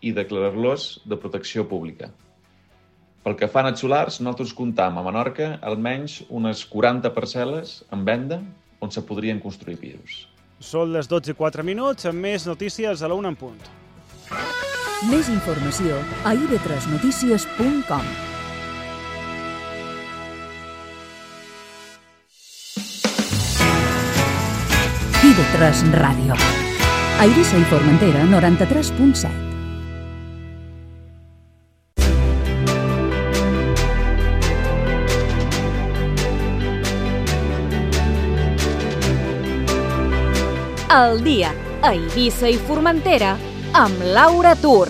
i declarar-los de protecció pública. Pel que fa a net solars, nosaltres comptam a Menorca almenys unes 40 parcel·les en venda on se podrien construir pisos. Són les 12:04, amb més notícies a la 1 en punt. Més informació a ib3notícies.com. IB3 Ràdio. A Eivissa i Formentera, 93.7. El dia a Eivissa i Formentera amb Laura Tur.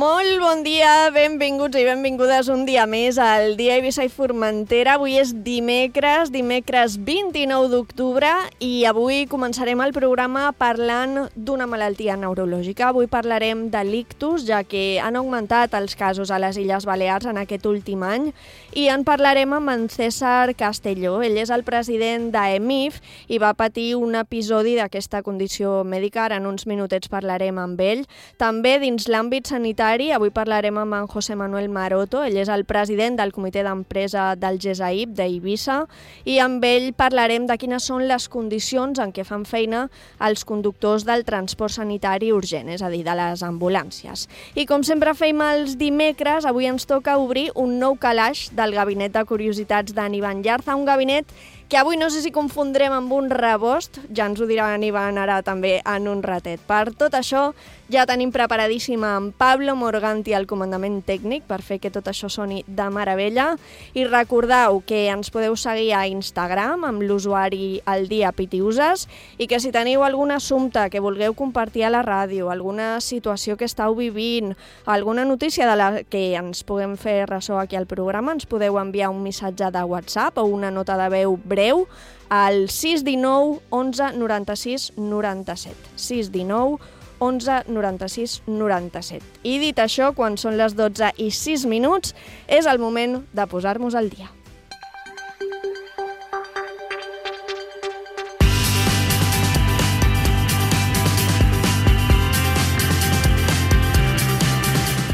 Molt bon dia, benvinguts i benvingudes un dia més al Dia Eivissa i Formentera. Avui és dimecres 29 d'octubre i avui començarem el programa parlant d'una malaltia neurològica. Avui parlarem de l'ictus, ja que han augmentat els casos a les Illes Balears en aquest últim any, i en parlarem amb en César Castelló. Ell és el president d'EMIF i va patir un episodi d'aquesta condició mèdica. Ara en uns minutets parlarem amb ell. També dins l'àmbit sanitari, avui parlarem amb en José Manuel Maroto. Ell és el president del comitè d'empresa del GESAIP d'Eivissa i amb ell parlarem de quines són les condicions en què fan feina els conductors del transport sanitari urgent, és a dir, de les ambulàncies. I com sempre fem els dimecres, avui ens toca obrir un nou calaix del Gabinet de Curiositats d'en Ivan Llarza, un gabinet que avui no sé si confondrem amb un rebost, ja ens ho dirà en Ivan ara també en un ratet. Per tot això ja tenim preparadíssima en Pablo Morganti al comandament tècnic per fer que tot això soni de meravella, i recordeu que ens podeu seguir a Instagram amb l'usuari El Dia Pitiuses, i que si teniu algun assumpte que vulgueu compartir a la ràdio, alguna situació que estàu vivint, alguna notícia de la que ens puguem fer ressò aquí al programa, ens podeu enviar un missatge de WhatsApp o una nota de veu breu al 619 11 96 97. 619 11 96 97. I dit això, quan són les 12:06, és el moment de posar-nos al dia.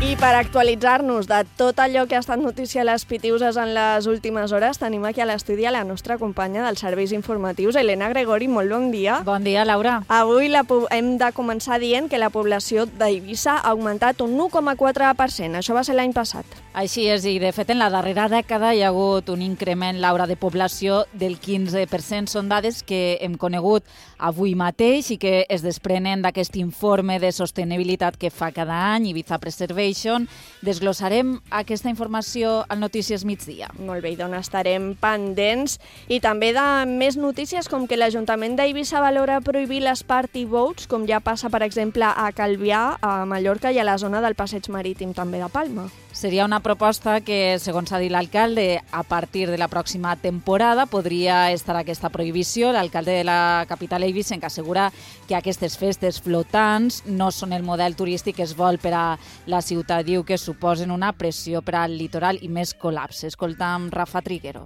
I per actualitzar-nos de tot allò que ha estat notícia a les Pitiuses en les últimes hores, tenim aquí a l'estudi a la nostra companya dels serveis informatius, Elena Gregori. Molt bon dia. Bon dia, Laura. Avui hem de començar dient que la població d'Eivissa ha augmentat un 1,4%. Això va ser l'any passat. Així és, i de fet en la darrera dècada hi ha hagut un increment, Laura, de població del 15%. Són dades que hem conegut avui mateix i que es desprenen d'aquest informe de sostenibilitat que fa cada any Ibiza Preservation. Desglossarem aquesta informació al Notícies Migdia. Molt bé, doncs estarem pendents. I també de més notícies, com que l'Ajuntament d'Eivissa valora prohibir les party boats, com ja passa, per exemple, a Calvià, a Mallorca, i a la zona del Passeig Marítim també de Palma. Seria una proposta que, segons ha dit l'alcalde, a partir de la pròxima temporada podria estar aquesta prohibició. L'alcalde de la capital eivissenca assegura que aquestes festes flotants no són el model turístic que es vol per a la ciutat. Diu que suposen una pressió per al litoral i més col·lapse. Escoltam Rafa Triguero.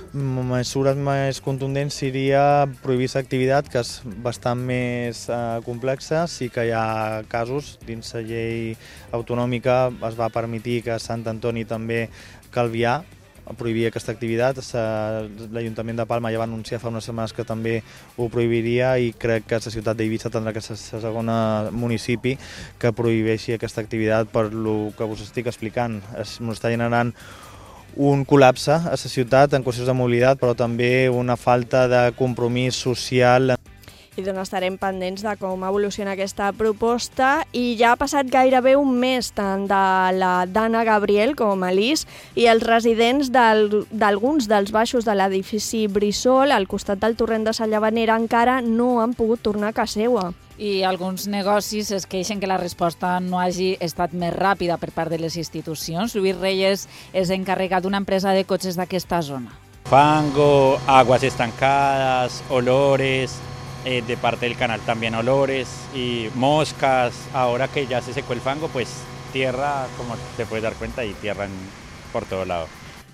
Mesures més contundents seria prohibir aquesta activitat, que és bastant més complexa. Sí que hi ha casos dins la llei autonòmica, es va permetir que a Sant Antoni també Calvià prohibir aquesta activitat. L'Ajuntament de Palma ja va anunciar fa unes setmanes que també ho prohibiria, i crec que la ciutat d'Eivissa tindrà que ser el segon municipi que prohibeixi aquesta activitat per el que us estic explicant. Ens està generant un col·lapse a la ciutat en qüestions de mobilitat, però també una falta de compromís social. I doncs estarem pendents de com evoluciona aquesta proposta. I ja ha passat gairebé un mes tant de la Dana Gabriel com a l'Is i els residents d'alguns dels baixos de l'edifici Brissol, al costat del torrent de la Llavanera, encara no han pogut tornar a casa seva. I alguns negocis es queixen que la resposta no hagi estat més ràpida per part de les institucions. Lluís Reyes és encarregat d'una empresa de cotxes d'aquesta zona. Fango, aguas estancadas, olores, de parte del canal también olores y moscas. Ahora que ya se secó el fango, pues tierra, como te puedes dar cuenta, y tierra por todo lado.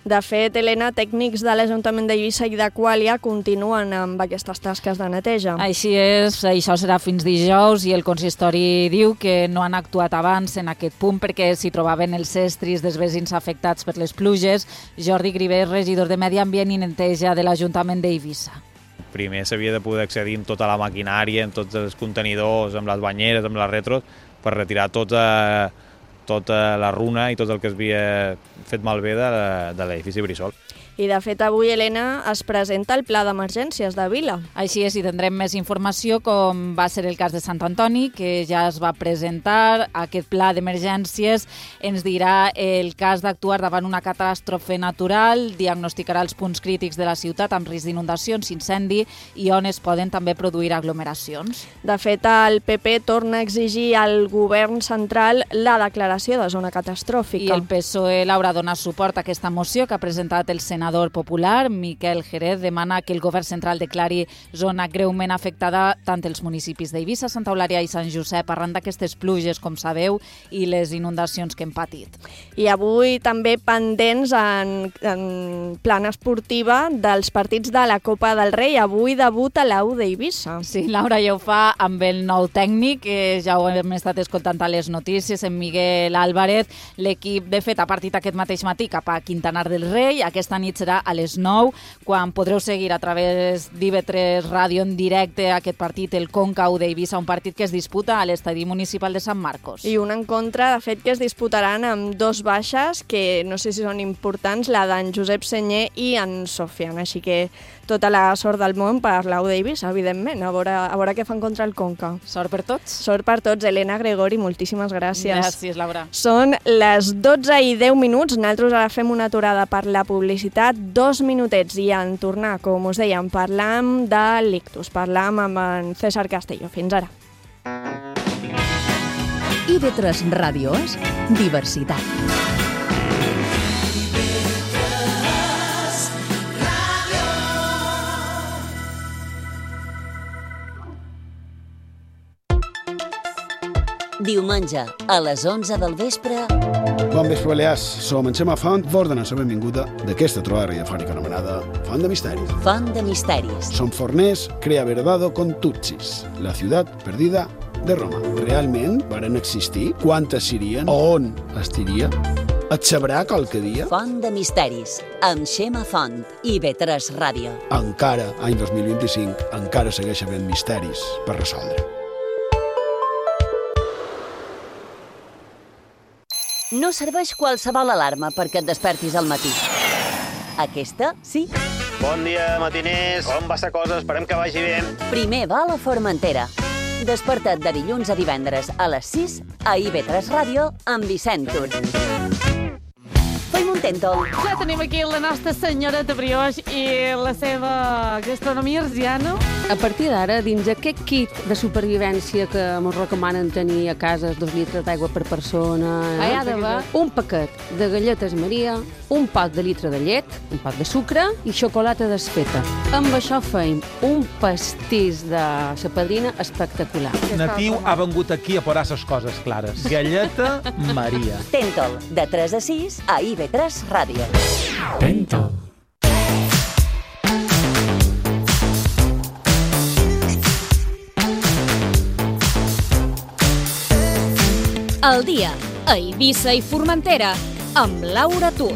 De fet, Helena, tècnics de l'Ajuntament d'Eivissa i d'Aquàlia continuen amb aquestes tasques de neteja. Així és, això serà fins dijous i el consistori diu que no han actuat abans en aquest punt perquè s'hi trobaven els estris dels veïns afectats per les pluges. Jordi Griver, regidor de Medi Ambient i Neteja de l'Ajuntament d'Eivissa. Primer s'havia de poder accedir amb tota la maquinària, amb tots els contenidors, amb les banyeres, amb les retros, per retirar tota la runa i tot el que s'havia fet malbé de l'edifici Brissol. I, de fet, avui, Helena, es presenta el Pla d'Emergències de Vila. Així és, i tindrem més informació, com va ser el cas de Sant Antoni, que ja es va presentar. Aquest pla d'emergències ens dirà el cas d'actuar davant una catàstrofe natural, diagnosticarà els punts crítics de la ciutat amb risc d'inundacions, incendi i on es poden també produir aglomeracions. De fet, el PP torna a exigir al govern central la declaració de zona catastròfica. I el PSOE l'haurà donat suport a aquesta moció que ha presentat el senador popular, Miquel Jerez, demana que el govern central declari zona greument afectada tant els municipis d'Eivissa, Santa Eulària i Sant Josep arran d'aquestes pluges, com sabeu, i les inundacions que hem patit. I avui també pendents en plan esportiva dels partits de la Copa del Rei. Avui debuta l'Au d'Eivissa. Sí, Laura ja ho fa amb el nou tècnic, que ja ho hem estat escoltant a les notícies, en Miguel Álvarez. L'equip, de fet, ha partit aquest mateix matí cap a Quintanar del Rei. Aquesta nit serà a les 9, quan podreu seguir a través d'IV3 Ràdio en directe aquest partit, el Conca-U d'Eivissa, un partit que es disputa a l'estadi municipal de Sant Marcos. I un encontre, de fet, que es disputaran amb dos baixes, que no sé si són importants, la d'en Josep Senyer i en Sofian. Així que tota la sort del món per l'Au d'Eivissa, evidentment, a veure què fan contra el Conca. Sort per tots. Sort per tots. Helena, Gregori, moltíssimes gràcies. Gràcies, Laura. Són les 12:10. Nosaltres ara fem una aturada per la publicitat, 2 minutets, i en tornar, com us dèiem, parlam de l'ictus, parlam amb en César Castelló. Fins ara. IB3 Ràdio és diversitat. Diumenge, a les 11 del vespre... Bon vespre, Balears. Som en Xema Font, vos donar la benvinguda d'aquesta trobada radiofònica anomenada Font de Misteris. Font de Misteris. Som forners, crea verdado con tutsis, la ciutat perdida de Roma. Realment varen existir? Quantes serien? On estiria? Et sabrà qualque dia? Font de Misteris, amb Xema Font i IB3 Ràdio. Encara, any 2025, encara segueix havent misteris per resoldre. No serveix qualsevol alarma perquè et despertis al matí. Aquesta, sí. Bon dia, matiners. Com va la cosa? Esperem que vagi bé. Primer va a la Formentera. Desperta't de dilluns a divendres a les 6 a IB3 Ràdio amb Vicent Tur. Fem un tèntol. Ja tenim aquí la nostra senyora de brioix i la seva gastronomia arsiana. A partir d'ara, dins aquest kit de supervivència que ens recomanen tenir a casa 2 litres d'aigua per persona, hi ha d'haver un paquet de galletes Maria, un pot de litre de llet, un pot de sucre i xocolata desfeta. Amb això feim un pastís de la padrina espectacular. Natiu ha vengut aquí a posar les coses clares. Galleta Maria. Tèntol, de 3 a 6 a IB3 Ràdio. Tèntol. El dia a Eivissa i Formentera amb Laura Tur.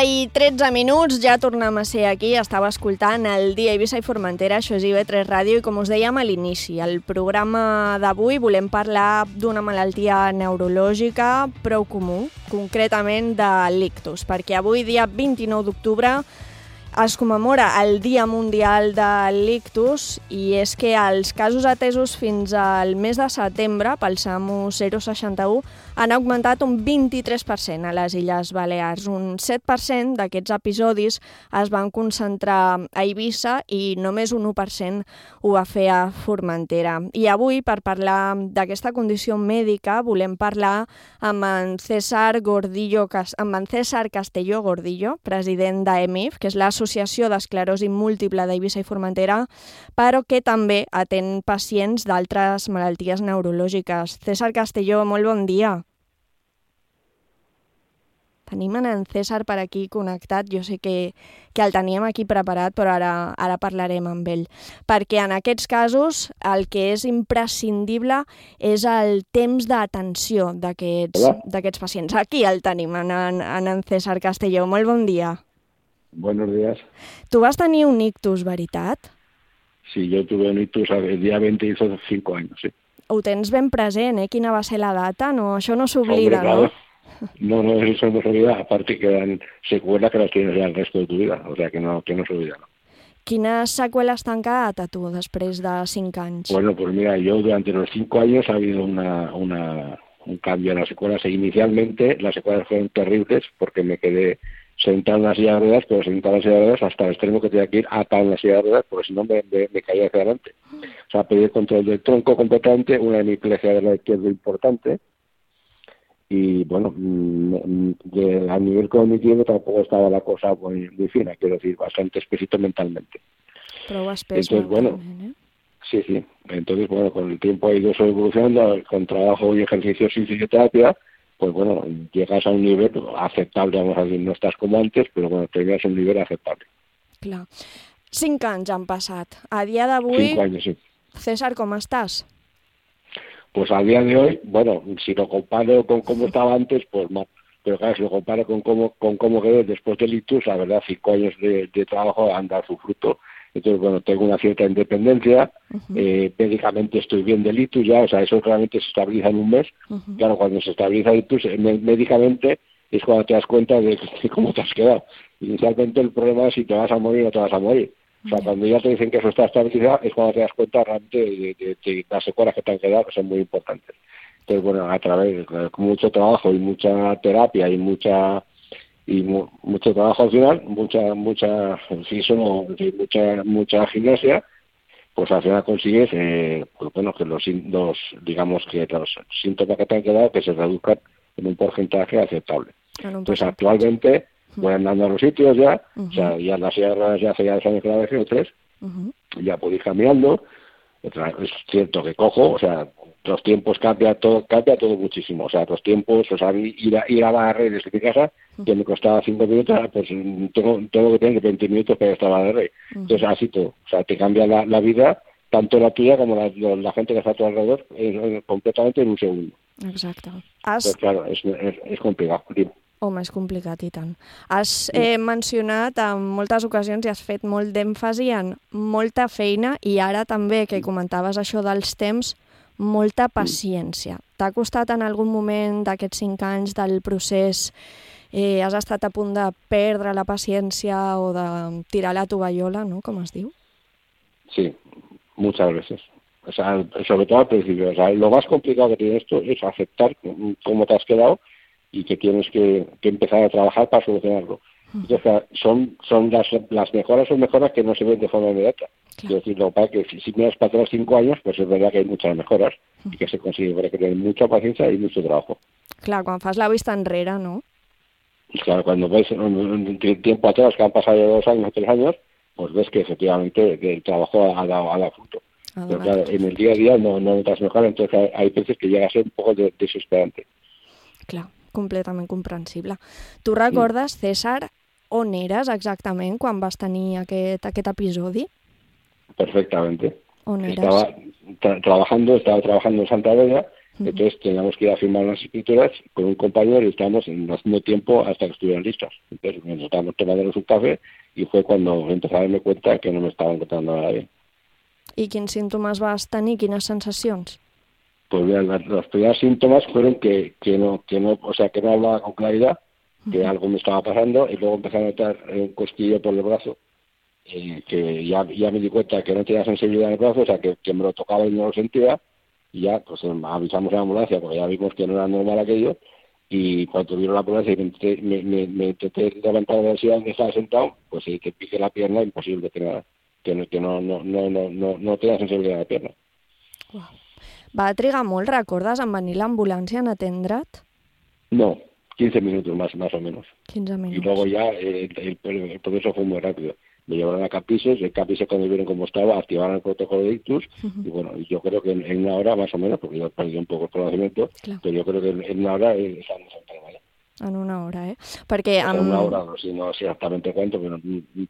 I 13 minuts, ja tornem a ser aquí. Estava escoltant el dia Eivissa i Formentera, això és IB3 Ràdio, i com us dèiem a l'inici, el programa d'avui volem parlar d'una malaltia neurològica prou comú, concretament de l'ictus, perquè avui, dia 29 d'octubre, es commemora el Dia Mundial de l'Ictus i és que els casos atesos fins al mes de setembre pel SAMU 061 han augmentat un 23% a les Illes Balears. Un 7% d'aquests episodis es van concentrar a Eivissa i només un 1% ho va fer a Formentera. I avui, per parlar d'aquesta condició mèdica, volem parlar amb en César Castelló Gordillo, president d'EMIF, que és l'Associació d'Esclerosi Múltiple d'Eivissa i Formentera, però que també atén pacients d'altres malalties neurològiques. César Castelló, molt bon dia. Tenim en César per aquí connectat, jo sé que el teníem aquí preparat, però ara parlarem amb ell. Perquè en aquests casos el que és imprescindible és el temps d'atenció d'aquests pacients. Aquí el tenim, en César Castelló. Molt bon dia. Buenos días. Tu vas tenir un ictus, veritat? Sí, yo tuve un ictus el día 25 años, sí. Ho tens ben present, Quina va ser la data? No, això no s'oblida, claro. No? No, eso no se olvida. Aparte quedan secuelas que las tienes ya el resto de tu vida. O sea, que no se olvida. ¿No? Quines seqüeles t'han quedat a tu després de 5 anys? Bueno, pues mira, yo durante los 5 años ha habido un cambio en las secuelas. Inicialmente las secuelas fueron terribles porque me quedé sentado en la silla de ruedas, pero sentado en la silla de ruedas hasta el extremo que tenía que ir atado en la silla de ruedas, porque si no me caía hacia adelante. O sea, perdí el control del tronco completamente, una hemiplegia de la izquierda importante. Y bueno, a nivel cognitivo tampoco estaba la cosa muy fina, quiero decir, bastante espesito mentalmente. Prou espès. Entonces, bueno, sí. Entonces, bueno, con el tiempo ha ido eso evolucionando, con trabajo y ejercicios y fisioterapia, pues bueno, llegas a un nivel aceptable, vamos a decir, no estás como antes, pero bueno, tenías un nivel aceptable. Clar. 5 anys han passat. A dia d'avui, 5 años, sí. César, com estàs? Pues al día de hoy, bueno, si lo comparo con cómo estaba antes, pues mal. Pero claro, si lo comparo con cómo quedé después del ictus, la verdad, 5 años de trabajo han dado su fruto. Entonces, bueno, tengo una cierta independencia, médicamente estoy bien del ictus ya, o sea, eso realmente se estabiliza en un mes. Claro, cuando se estabiliza el ictus, médicamente es cuando te das cuenta de cómo te has quedado. Inicialmente el problema es si te vas a morir o no te vas a morir. O sea, cuando ya te dicen que eso está estabilizado, es cuando te das cuenta realmente de las secuelas que te han quedado, que son muy importantes. Entonces, bueno, a través de mucho trabajo y mucha terapia y mucho trabajo al final, mucha gimnasia, pues al final consigues, pues bueno, que los síntomas que te han quedado que se reduzcan en un porcentaje aceptable. Entonces, actualmente voy andando a los sitios ya, o sea, ya las sierras ya hace ya 2 años que la dejé, o 3, ya puedo ir caminando. Es cierto que cojo, o sea, los tiempos cambia todo muchísimo. O sea, los tiempos, o sea, ir a barrer desde mi casa, que me costaba 5 minutos, pues tengo que tener 20 minutos para estar a barrer. Entonces, así todo. O sea, te cambia la vida, tanto la tuya como la gente que está a tu alrededor, completamente en un segundo. Exacte. Pues claro, es complicado. Home, és complicat i tant. Has mencionat en moltes ocasions i has fet molt d'èmfasi en molta feina i ara també, que comentaves això dels temps, molta paciència. T'ha costat en algun moment d'aquests 5 anys del procés, has estat a punt de perdre la paciència o de tirar la tovallola, ¿no? Com es diu? Sí, muchas veces. O sea, sobre todo al principio. O sea, lo más complicado que tiene esto es aceptar cómo te has quedado y que tienes que empezar a trabajar para solucionarlo. Entonces, son las mejoras son mejoras que no se ven de forma inmediata. Es decir, lo que pasa es que si miras para atrás 5 años, pues es verdad que hay muchas mejoras y que se consigue, pero hay que tener mucha paciencia y mucho trabajo. Clar, quan fas la vista enrere, ¿no? Claro, cuando ves un tiempo atrás, que han pasado 2 años o 3 años, pues ves que efectivamente el trabajo ha dado fruto. Pero claro, en el día a día no notas mejor, entonces hay veces que llega a ser un poco desesperante. Clar, completament comprensible. Tu recordes, César, on eres exactament quan vas tenir aquest episodi? Perfectamente. On eres? Estaba trabajando en Santa Vega, entonces teníamos que ir a firmar unas escrituras con un compañero y estábamos haciendo tiempo hasta que estuvieran listas. Entonces nos estábamos tomándonos un café y fue cuando empecé a darme cuenta que no me estaba encontrando nada bien. I quins símptomes vas tenir? Quines sensacions? Pues bien, los primeros síntomas fueron que no hablaba con claridad, que algo me estaba pasando, y luego empecé a notar un cosquillo por el brazo, que ya me di cuenta que no tenía sensibilidad en el brazo, o sea, que me lo tocaba y no lo sentía, y ya pues avisamos a la ambulancia, porque ya vimos que no era normal aquello, y cuando vieron la ambulancia y me intenté levantar de la silla donde estaba sentado, pues sí, que pique la pierna, imposible, que no tenía sensibilidad en la pierna. Va trigar molt, recordes, en venir l'ambulància en atendre't? No, 15 minutos más o menos. 15 minutos. Y luego ya el proceso fue muy rápido. Me llevaron a Capices, el Capices cuando vieron cómo estaba, activaron el protocolo de ictus, y bueno, yo creo que en una hora más o menos, porque yo he perdido un poco el conocimiento, pero yo creo que en una hora estamos en Palmalla. En una hora, Perquè en una hora, no sé exactamente cuánto, però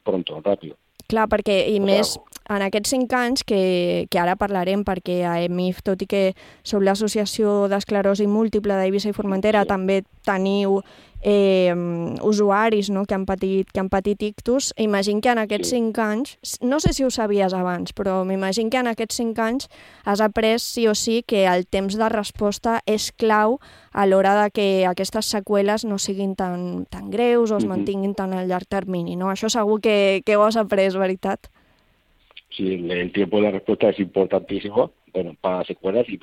pronto, ràpid. Clar, perquè, i més, en aquests 5 anys, que ara parlarem, perquè a EMIF, tot i que sou l'Associació d'Esclerosi Múltiple d'Eivissa i Formentera, també teniu usuaris, no?, que han patit ictus. Imagino que en aquests 5 anys, no sé si ho sabies abans, però m'imagino que en aquests 5 anys has après sí o sí que el temps de resposta és clau a l'hora de que aquestes seqüeles no siguin tan greus o es mantinguin tan a llarg termini, no? Això segur que ho has après, veritat? Sí, el tiempo de respuesta es importantísimo, bueno, para secuelas y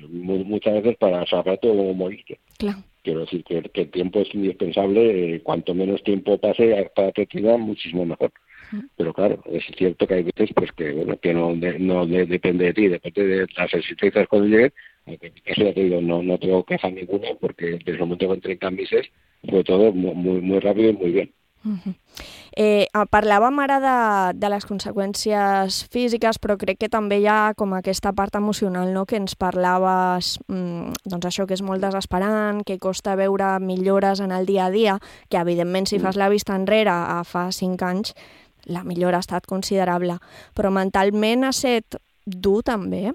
muchas veces para saber cómo moriste. Claro. Quiero decir que el tiempo es indispensable, cuanto menos tiempo pase para tratar, muchísimo mejor. Pero claro, es cierto que hay veces pues que no depende de ti, depende de las existencias cuando lleguen. En mi caso ya te digo, no tengo queja ninguna, porque desde el momento que entré en Cambises fue todo muy rápido y muy bien. Parlàvem ara de les conseqüències físiques, però crec que també hi ha com aquesta part emocional, no?, que ens parlaves, doncs això, que és molt desesperant, que costa veure millores en el dia a dia, que evidentment si fas la vista enrere a fa 5 anys, la millora ha estat considerable, però mentalment ha estat dur també?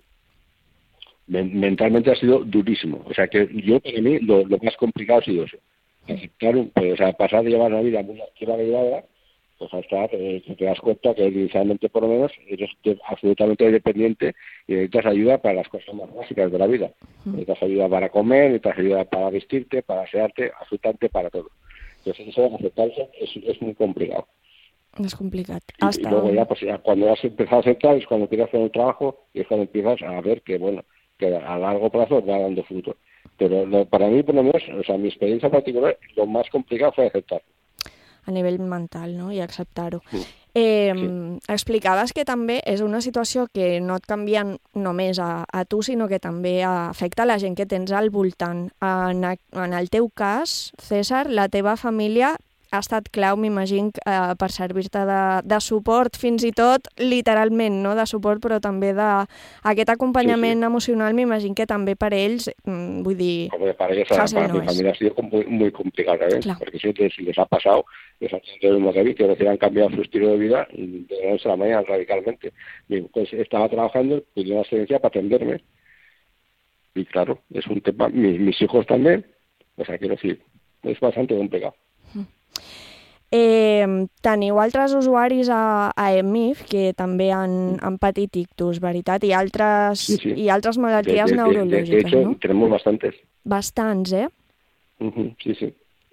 Mentalmente ha sido durísimo, o sea que yo, para mí, lo más complicado ha sido eso. Aceptar, pues, o sea, pasar de llevar una vida muy activa llevada, pues hasta que te das cuenta que inicialmente por lo menos eres absolutamente dependiente y necesitas ayuda para las cosas más básicas de la vida. Necesitas ayuda para comer, necesitas ayuda para vestirte, para asearte, absolutamente para todo. Entonces eso, aceptarse es muy complicado. Es complicat. Y luego ya, pues ya cuando has empezado a aceptar es cuando empiezas a hacer el trabajo y es cuando empiezas a ver que, bueno, que a largo plazo va dando fruto. Pero para mí, por lo menos, o sea, mi experiencia particular, lo más complicado fue aceptar. A nivell mental, no?, i acceptar-ho. Explicaves que també és una situació que no et canvia només a tu, sinó que també afecta la gent que tens al voltant. En el teu cas, César, la teva família ha estat clau, m'imagino, per servir-te de suport, fins i tot literalment, no?, de suport, però també d'aquest acompanyament emocional, m'imagino que també per ells, vull dir, fácil no es. Para mi familia ha sido muy complicada, porque si les ha pasado, exactamente lo mismo que a mí, que recién han cambiado su estilo de vida de la noche a la mañana radicalmente. Pues estaba trabajando, pidió una excedencia para atenderme, y claro, es un tema, mis hijos también, o sea, quiero decir, es bastante complicado. Teniu altres usuaris a EMIF que també han patit ictus, veritat? I altres malalties neurològiques, de hecho, no? Tenemos bastantes. Bastants, Sí.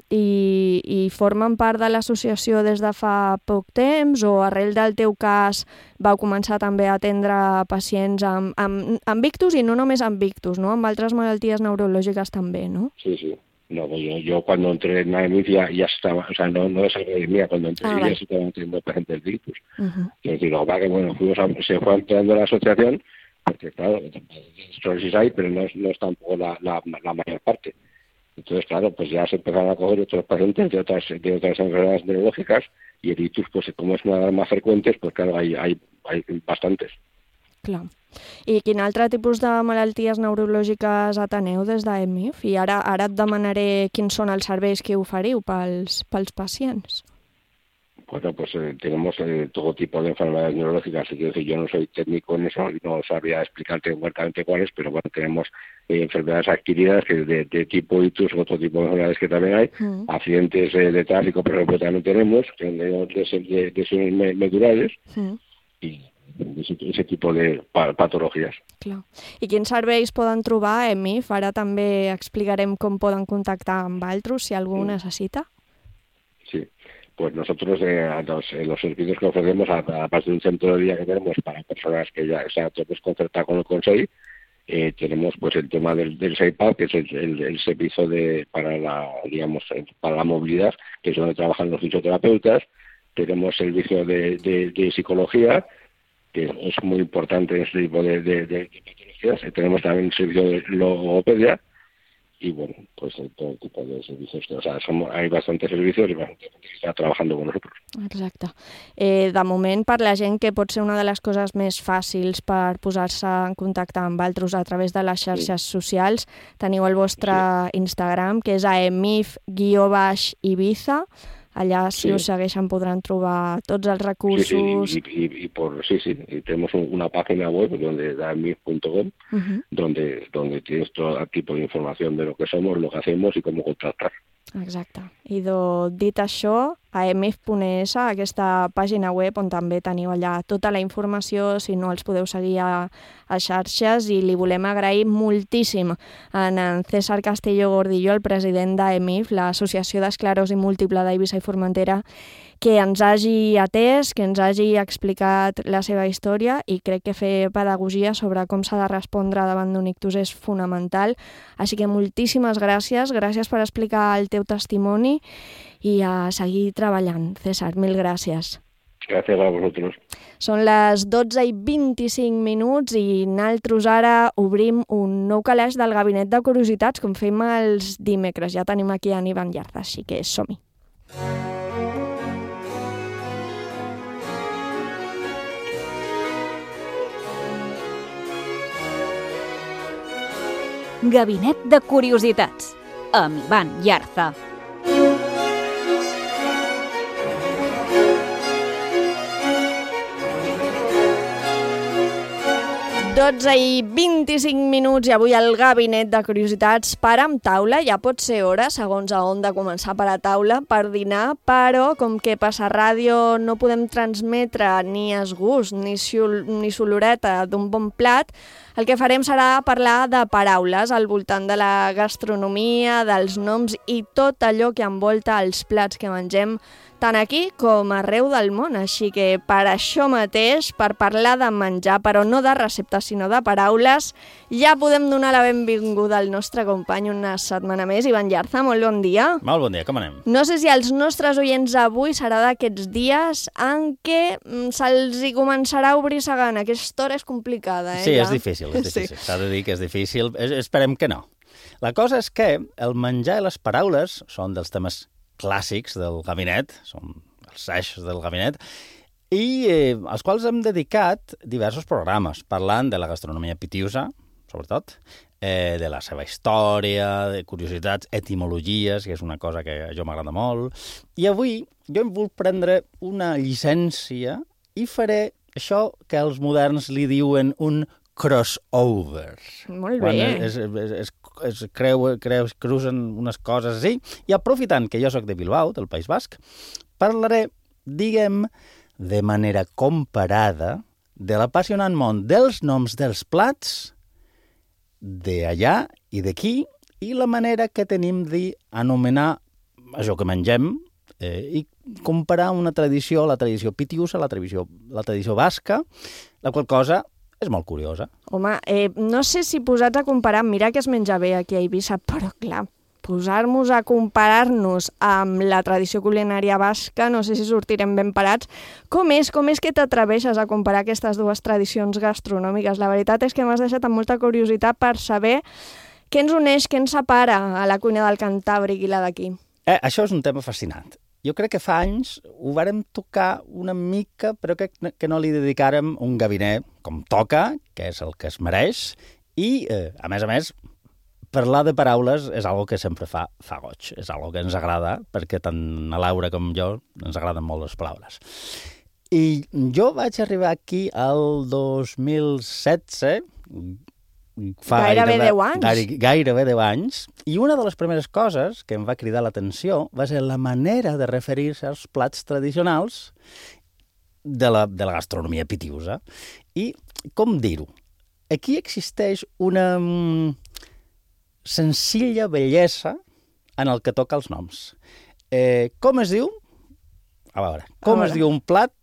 I formen part de l'associació des de fa poc temps o arrel del teu cas vau començar també a atendre pacients amb ictus i no només amb ictus, no? Amb altres malalties neurològiques també, no? Sí. No, yo cuando entré en AEMIF ya estaba, o sea, no es algo de mía, cuando entré ya se estaban teniendo pacientes de ictus. Es decir, lo que pasa que, bueno, se fue ampliando la asociación, porque claro, esclerosis hay, pero no es tampoco la mayor parte. Entonces, claro, pues ya se empezaron a coger otros pacientes de otras enfermedades neurológicas y el ictus, pues como es una de las más frecuentes, pues claro, hay bastantes. Clar. I quin altre tipus de malalties neurològiques ateneu des d'EMIF? I ara et demanaré quins són els serveis que oferiu pels pacients. Bueno, pues tenemos todo tipo de enfermedades neurológicas. Quiero decir, yo no soy técnico en eso y no sabría explicarte exactamente cuáles, pero bueno, tenemos enfermedades adquiridas que de tipo ictus, otro tipo de enfermedades que también hay, accidentes de tráfico, por ejemplo, también tenemos lesiones medulares y ese tipo de patologías. Clar. I quins serveis poden trobar a EMIF? Ara també explicarem com poden contactar amb altres, si algú ho necessita. pues nosotros los servicios que ofrecemos, aparte de un centro de día que tenemos para personas que ya tenemos concertado con el Consejo, tenemos pues el tema del SEIPAD, que es el servicio para la movilidad, que es donde trabajan los fisioterapeutas. Tenemos servicio de psicología, que es muy importante en este tipo de patologías. Tenemos también el servicio de logopedia y, bueno, pues todo tipo de servicios. O sea, hay bastantes servicios y bastante gente que està trabajando con nosotros. Exacte. De moment, per la gent que pot ser una de les coses més fàcils per posar-se en contacte amb altres a través de les xarxes socials, teniu el vostre Instagram, que és aemif_Ibiza. Allà, si us segueixen, podran trobar tots els recursos. Sí, y tenemos una página web, aemif.com, donde tienes todo tipo de información de lo que somos, lo que hacemos y cómo contratar. Exacte. I dit això, aemif.es, aquesta pàgina web on també teniu allà tota la informació, si no els podeu seguir a xarxes, i li volem agrair moltíssim a en César Castillo Gordillo, el president d'AEMIF, l'Associació d'Esclerosi Múltiple d'Eivissa i Formentera, que ens hagi atès, que ens hagi explicat la seva història, i crec que fer pedagogia sobre com s'ha de respondre davant d'un ictus és fonamental. Així que moltíssimes gràcies per explicar el teu testimoni i a seguir treballant. César, mil gràcies. Gràcies a vosaltres. Són les 12:25 i nosaltres ara obrim un nou calaix del Gabinet de Curiositats, com fem els dimecres. Ja tenim aquí en Ivan Yarza, així que som-hi. Gabinet de Curiositats, amb Ivan Yarza. Dotze i 25 i avui al Gabinet de Curiositats parar amb taula. Ja pot ser hora, segons a on de començar per a taula, per dinar, però com que per la ràdio no podem transmetre ni esgust ni soloreta d'un bon plat, el que farem serà parlar de paraules al voltant de la gastronomia, dels noms i tot allò que envolta els plats que mengem tant aquí com arreu del món. Així que per això mateix, per parlar de menjar, però no de receptes sinó de paraules, ja podem donar la benvinguda al nostre company una setmana més. Ivan Yarza, molt bon dia. Molt bon dia, com anem? No sé si els nostres oients avui serà d'aquests dies en què se'ls hi començarà a obrir la gana. Aquesta hora és complicada, Sí, és difícil. S'ha de dir que és difícil. Esperem que no. La cosa és que el menjar i les paraules són dels temes clàssics del gabinet, són els eixos del gabinet, i als quals hem dedicat diversos programes, parlant de la gastronomia pitiusa, sobretot, de la seva història, de curiositats, etimologies, que és una cosa que a jo m'agrada molt. I avui jo em vull prendre una llicència i faré això que els moderns li diuen un crossover. Molt bé. Quan cruzen unes coses així. I aprofitant que jo sóc de Bilbao, del País Basc, parlaré, diguem, de manera comparada de l'apassionant món dels noms dels plats d'allà i d'aquí i la manera que tenim d'anomenar això que mengem i comparar una tradició, la tradició pitiusa, la tradició basca, la qual cosa és molt curiosa. Home, no sé si posats a comparar, mira que es menja bé aquí a Eivissa, però clar, posar-nos a comparar-nos amb la tradició culinària basca, no sé si sortirem ben parats. Com és que t'atreveixes a comparar aquestes dues tradicions gastronòmiques? La veritat és que m'has deixat amb molta curiositat per saber què ens uneix, què ens separa a la cuina del Cantàbric i la d'aquí. Això és un tema fascinant. Jo crec que fa anys ho vàrem tocar una mica, però que no li dedicàrem un gabinet com toca, que és el que es mereix, i, a més, parlar de paraules és algo que sempre fa goig, és algo que ens agrada, perquè tant a Laura com jo ens agraden molt les paraules. I jo vaig arribar aquí al 2016, Gairebé 10 anys. Gairebé 10 anys. I una de les primeres coses que em va cridar l'atenció va ser la manera de referir-se als plats tradicionals de la gastronomia pitiusa. I, com dir-ho, aquí existeix una senzilla bellesa en el que toca els noms. Com es diu A veure, com es diu un plat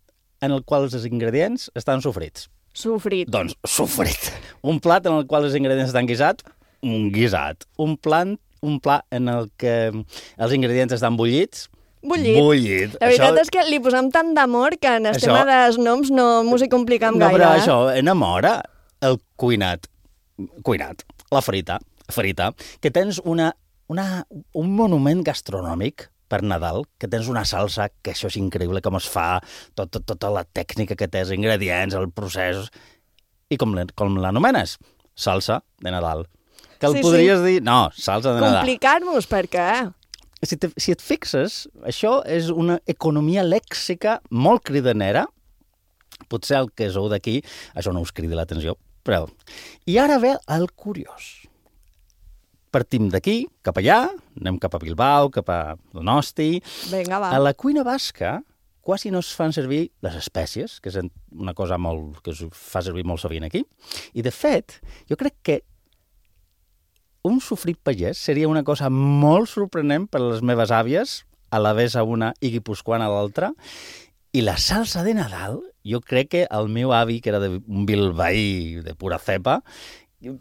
en el qual els ingredients estan sofrits? Sofrit. Doncs sofrit. Un plat en el qual els ingredients estan guisats? Un guisat. Un plat en el que els ingredients estan bullits? Bullit. La veritat és que li posem tant d'amor que en el tema dels noms no m'ho hi complicam gaire. No, però això enamora el cuinat. La frita, que tens un monument gastronòmic per Nadal, que tens una salsa, que això és increïble, com es fa, tota la tècnica que té, els ingredients, el procés... I com l'anomenes? Salsa de Nadal. Que el podries dir... No, salsa de Nadal. Complicar-nos, per què? Si et fixes, això és una economia lèxica molt cridanera. Potser el que sou d'aquí, això no us cridi l'atenció, però... I ara ve el curiós. Partim d'aquí, cap allà, anem cap a Bilbao, cap a Donosti... Vinga, va. A la cuina basca quasi no es fan servir les espècies, que és una cosa que es fa servir molt sovint aquí. I, de fet, jo crec que un sofrit pagès seria una cosa molt sorprenent per a les meves àvies, a la vez a una i guipuscoana a l'altra. I la salsa de Nadal, jo crec que el meu avi, que era un bilbaí de pura cepa,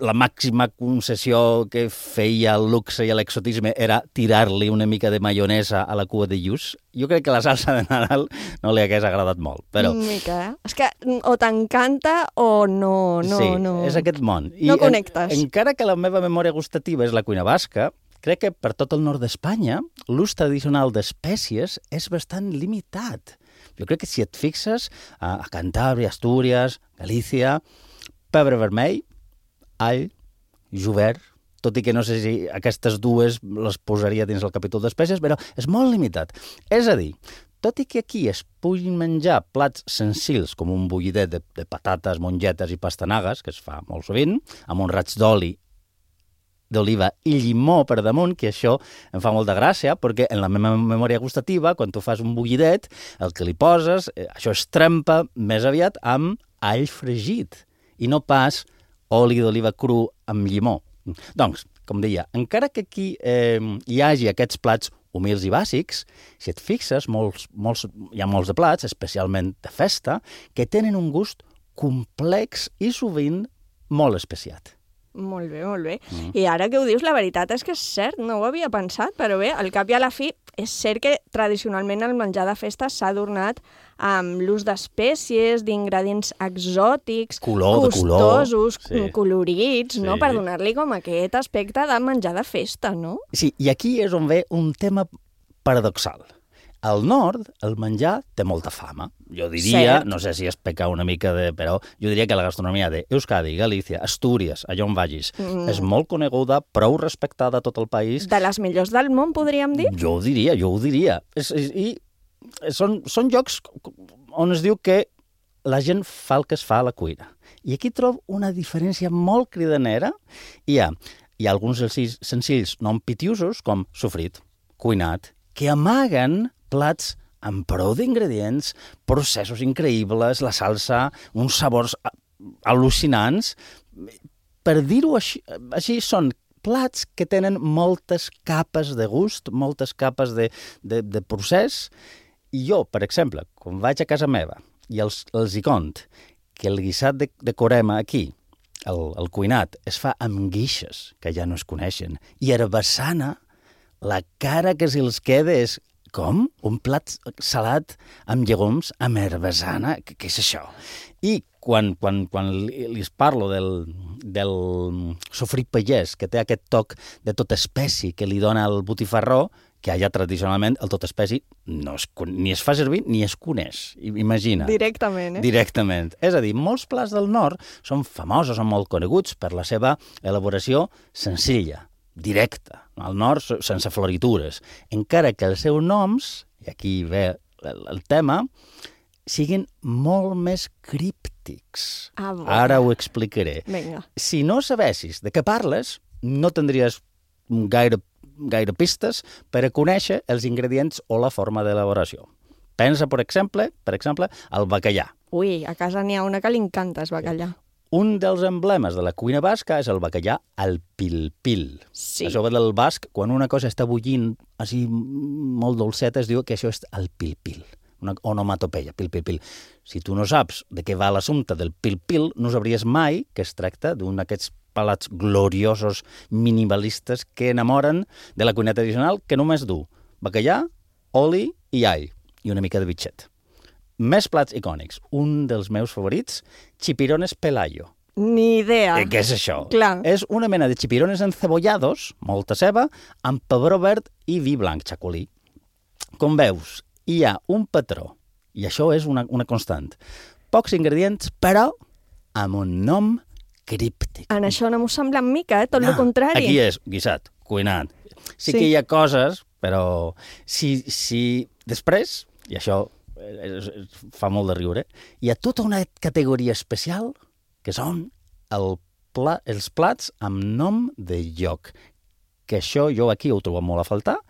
la màxima concessió que feia el luxe i l'exotisme era tirar-li una mica de maionesa a la cua de lluç. Jo crec que la salsa de Nadal no li hagués agradat molt, però... Mica, eh? És que o t'encanta o no... Sí, és aquest món. No connectes. Encara que la meva memòria gustativa és la cuina basca, crec que per tot el nord d'Espanya l'ús tradicional d'espècies és bastant limitat. Jo crec que si et fixes a Cantàbria, Astúries, Galícia, pebre vermell, all, jovert, tot i que no sé si aquestes dues les posaria dins el capítol d'espècies, però és molt limitat. És a dir, tot i que aquí es puguin menjar plats senzills com un bullidet de patates, mongetes i pastanagues, que es fa molt sovint, amb un raig d'oliva i llimó per damunt, que això em fa molta gràcia, perquè en la meva memòria gustativa, quan tu fas un bullidet, el que li poses, això es trempa més aviat amb all fregit, i no pas oli d'oliva cru amb llimó. Doncs, com deia, encara que aquí hi hagi aquests plats humils i bàsics, si et fixes, hi ha molts de plats, especialment de festa, que tenen un gust complex i sovint molt especiat. Molt bé, molt bé. I ara que ho dius, la veritat és que és cert, no ho havia pensat, però bé, al cap i a la fi, és cert que tradicionalment el menjar de festa s'ha adornat amb l'ús d'espècies, d'ingredients exòtics, costosos, colorits, no? Per donar-li com aquest aspecte de menjar de festa, no? Sí, i aquí és on ve un tema paradoxal. Al nord, el menjar té molta fama. Jo diria, no sé si es peca una mica, però jo diria que la gastronomia d'Euskadi, Galícia, Astúries, allà on vagis, és molt coneguda, prou respectada a tot el país. De les millors del món, podríem dir? Jo ho diria. I són llocs on es diu que la gent fa el que es fa a la cuina. I aquí trobo una diferència molt cridanera. Hi ha alguns senzills nom pitiusos, com sofrit, cuinat, que amaguen plats amb prou d'ingredients, processos increïbles, la salsa, uns sabors al·lucinants. Per dir-ho així, són plats que tenen moltes capes de gust, moltes capes de procés. I jo, per exemple, quan vaig a casa meva i els hi cont que el guisat de corema aquí, el cuinat, es fa amb guixes, que ja no es coneixen, i herbassana, la cara que se'ls queda és com? Un plat salat amb llegums, amb herbassana? Què és això? I quan li parlo del sofrit pagès, que té aquest toc de tot espècie que li dona el botifarró, que allà tradicionalment el tot espècie ni es fa servir ni es coneix. Imagina. Directament, Directament. És a dir, molts plats del nord són famosos, són molt coneguts per la seva elaboració senzilla, directa, al nord sense floritures, encara que els seus noms, i aquí ve el tema, siguin molt més críptics. Ara ho explicaré. Vinga. Si no sabessis de què parles, no tindries gaire pistes per a conèixer els ingredients o la forma d'elaboració. Pensa, per exemple, al bacallà. Ui, a casa n'hi ha una que li encanta, el bacallà. Un dels emblemes de la cuina basca és el bacallà al pil-pil. Sí. Això ve del basc, quan una cosa està bullint així molt dolceta, es diu que això és el pil-pil. una onomatopeia, pil-pil-pil. Si tu no saps de què va l'assumpte del pil-pil, no sabries mai que es tracta d'un d'aquests plats gloriosos minimalistes que enamoren de la cuina tradicional, que només du bacallà, oli i all, i una mica de bitxet. Més plats icònics. Un dels meus favorits, chipirones pelayo. Ni idea. Què és això? Clar. És una mena de chipirones encebollados, molta ceba, amb pebró verd i vi blanc, xacolí. Com veus, hi ha un patró, i això és una constant. Pocs ingredients, però amb un nom críptic. En això no m'ho sembla en mica, tot el contrari. Aquí és guisat, cuinat. Sí que hi ha coses, però si després, i això fa molt de riure, hi ha tota una categoria especial que són els plats amb nom de lloc. Que això jo aquí ho trobo molt a faltar.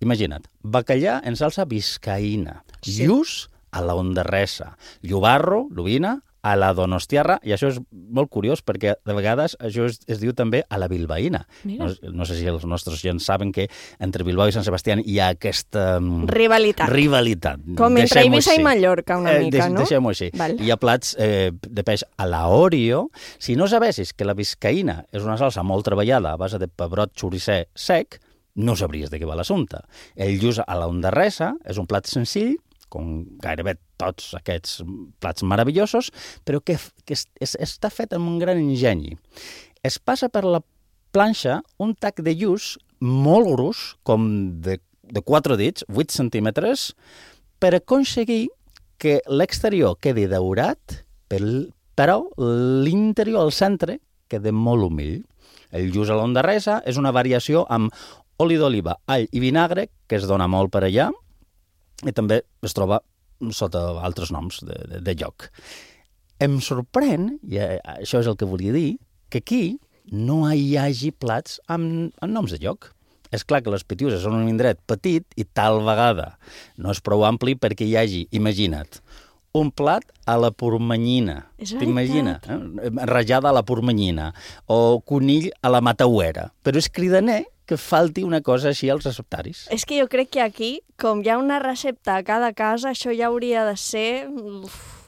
Imagina't, bacallà en salsa biscaïna, lluç a la Ondarresa, llobarro, l'ovina, a la Donostiarra, i això és molt curiós perquè de vegades això es diu també a la bilbaïna. No sé si els nostres gens saben que entre Bilbao i Sant Sebastià hi ha aquesta rivalitat. Com entre Eivissa i Mallorca, una mica, no? Deixem-ho així. Hi ha plats de peix a la Oreo. Si no sabessis que la biscaïna és una salsa molt treballada a base de pebrot xoricer sec, no sabries de què va l'assumpte. El lluç a la Ondarresa és un plat senzill, com gairebé tots aquests plats meravellosos, però que està fet amb un gran enginy. Es passa per la planxa un tac de lluç molt gros, com de 4 dits, 8 centímetres, per aconseguir que l'exterior quedi daurat, però l'interior, al centre, quedi molt humil. El lluç a l'Ondarresa és una variació amb oli d'oliva, all i vinagre, que es dona molt per allà, i també es troba sota altres noms de lloc. Em sorprèn, i això és el que volia dir, que aquí no hi hagi plats amb noms de lloc. És clar que les Pitiüses són un indret petit i tal vegada no és prou ampli perquè hi hagi, imagina't, un plat a la pormanyina. T'imagina? Rajada a la pormanyina. O conill a la matauera. Però és cridaner que falti una cosa així als receptaris. És que jo crec que aquí, com hi ha una recepta a cada casa, això ja hauria de ser...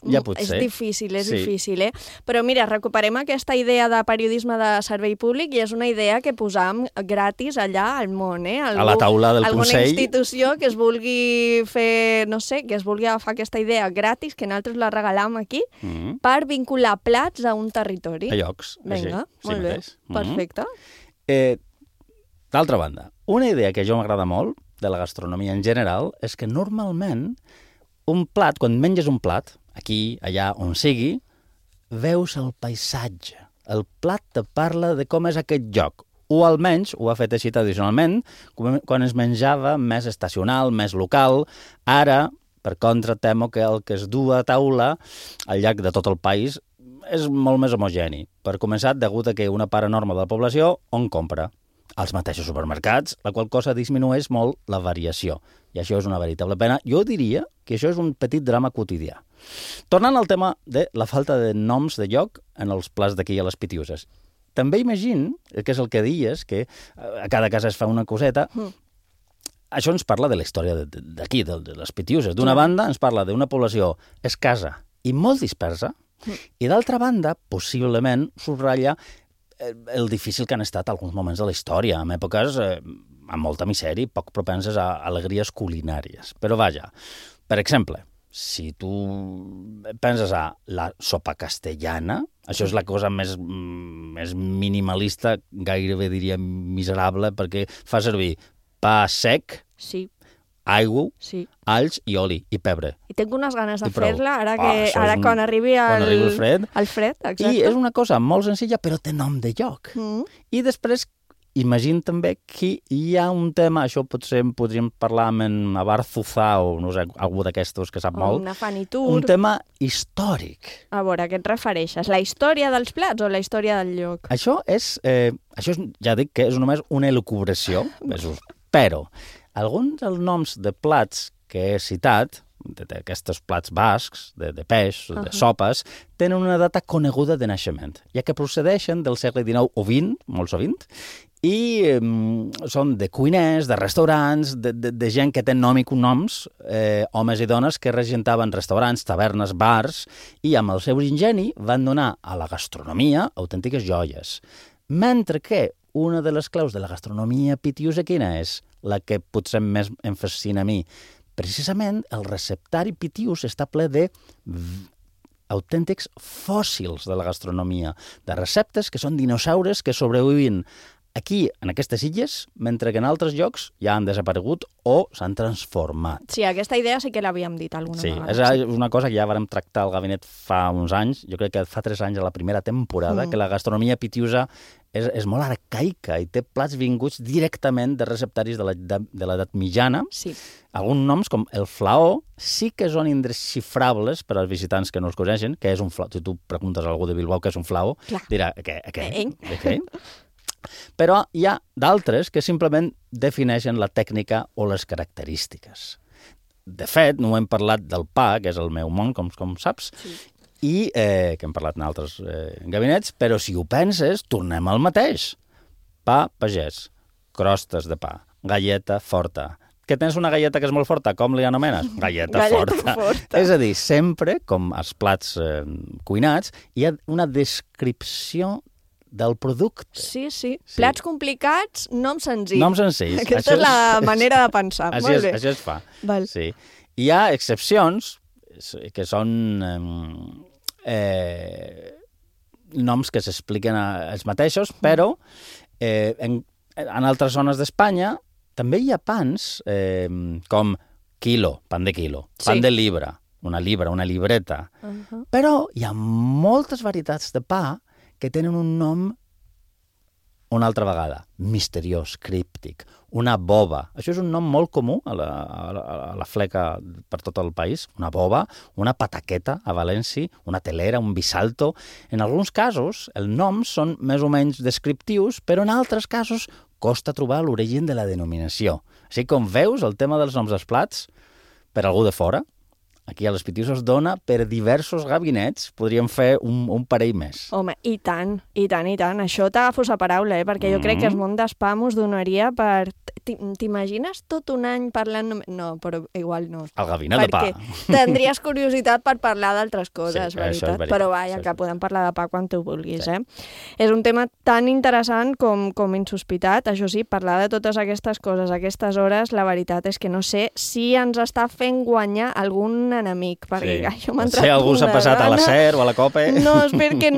Ja pot ser. És difícil, eh? Però mira, recuperem aquesta idea de periodisme de servei públic i és una idea que posam gratis allà al món, eh? A la taula del Consell. Alguna institució que es vulgui fer, no sé, que es vulgui agafar aquesta idea gratis, que nosaltres la regalam aquí, per vincular plats a un territori. A llocs. Vinga, molt bé, perfecte. D'altra banda, una idea que a jo m'agrada molt de la gastronomia en general és que normalment un plat, quan menges un plat, aquí, allà, on sigui, veus el paisatge. El plat te parla de com és aquest lloc. O almenys ho ha fet així tradicionalment, quan es menjava més estacional, més local. Ara, per contra, temo que el que es du a taula al llarg de tot el país és molt més homogeni. Per començar, degut a que una part enorme de la població on compra? Als mateixos supermercats, la qual cosa disminueix molt la variació. I això és una veritable pena. Jo diria que això és un petit drama quotidià. Tornant al tema de la falta de noms de lloc en els plats d'aquí a les Pitiüses. També imagino, que és el que dies, que a cada casa es fa una coseta. Això ens parla de la història d'aquí, de les Pitiüses. D'una banda, ens parla d'una població escassa i molt dispersa, i d'altra banda, possiblement, subratlla el difícil que han estat alguns moments de la història, en èpoques amb molta misèria i poc propenses a alegries culinàries. Però vaja, per exemple, si tu penses a la sopa castellana, això és la cosa més minimalista, gairebé diria miserable, perquè fa servir pa sec, aigua, alls i oli i pebre. I tinc unes ganes de fer-la, ara quan arribi el fred. Exacte. I és una cosa molt senzilla, però té nom de lloc. I després, imagina també que hi ha un tema, això potser podríem parlar amb en Abarzuzá o no sé, algú d'aquestos que sap molt. Una fanitur. Un tema històric. A veure, a què et refereixes? La història dels plats o la història del lloc? Això és, ja dic que és només una elucubració, però alguns dels noms de plats que he citat, d'aquests plats bascs, de peix, de sopes, tenen una data coneguda de naixement, ja que procedeixen del segle XIX o XX, molt sovint, i són de cuiners, de restaurants, de gent que té nom i cognoms, homes i dones que regentaven restaurants, tavernes, bars, i amb el seu ingeni van donar a la gastronomia autèntiques joies. Mentre que una de les claus de la gastronomia pitiusa quina és? La que potser més em fascina a mi. Precisament el receptari pitius està ple de autèntics fòssils de la gastronomia, de receptes que són dinosaures que sobreviuen aquí, en aquestes illes, mentre que en altres llocs ja han desaparegut o s'han transformat. Sí, aquesta idea sí que l'havíem dit alguna vegada. Sí, és una cosa que ja vam tractar al gabinet fa uns anys, jo crec que fa 3 anys a la primera temporada, que la gastronomia pitiusa és molt arcaica i té plats vinguts directament de receptaris de l'edat mitjana. Sí. Alguns noms, com el flaó, sí que són indesxifrables per als visitants que no els coneixen, que és un flaó. Si tu preguntes a algú de Bilbao què és un flaó, dirà, què? Però hi ha d'altres que simplement defineixen la tècnica o les característiques. De fet, no hem parlat del pa, que és el meu món, com saps, i que hem parlat en altres gabinets, però si ho penses, tornem al mateix. Pa pagès, crostes de pa, galleta forta. Que tens una galleta que és molt forta, com li anomenes? Galleta forta. És a dir, sempre, com els plats cuinats, hi ha una descripció del producte. Sí. Plats complicats, noms senzills. Noms senzills. Aquesta és la manera de pensar. Molt bé. Així es fa. Val. Sí. Hi ha excepcions que són noms que s'expliquen els mateixos, però en altres zones d'Espanya també hi ha pans com quilo, pan de quilo, pan de libra, una libreta. Però hi ha moltes varietats de pa que tenen un nom una altra vegada, misteriós, críptic, una boba. Això és un nom molt comú a la fleca per tot el país. Una boba, una pataqueta a València, una telera, un bisalto. En alguns casos, els noms són més o menys descriptius, però en altres casos costa trobar l'origen de la denominació. Així com veus, el tema dels noms dels plats, per algú de fora, aquí a les Pitiuses dona per diversos gabinets, podríem fer un parell més. Home, i tant. Això t'agafo sa paraula, perquè jo crec que el món d'espam us donaria per... T'imagines tot un any parlant... No, però igual no. El gabinet de pa. Perquè tindries curiositat per parlar d'altres coses, veritat. Però vaja, que podem parlar de pa quan tu vulguis, És un tema tan interessant com insospitat. Això sí, parlar de totes aquestes coses a aquestes hores, la veritat és que no sé si ens està fent guanyar algun enemic, perquè jo m'he entrat... Si algú s'ha passat a la SER o a la COPE... No, espero que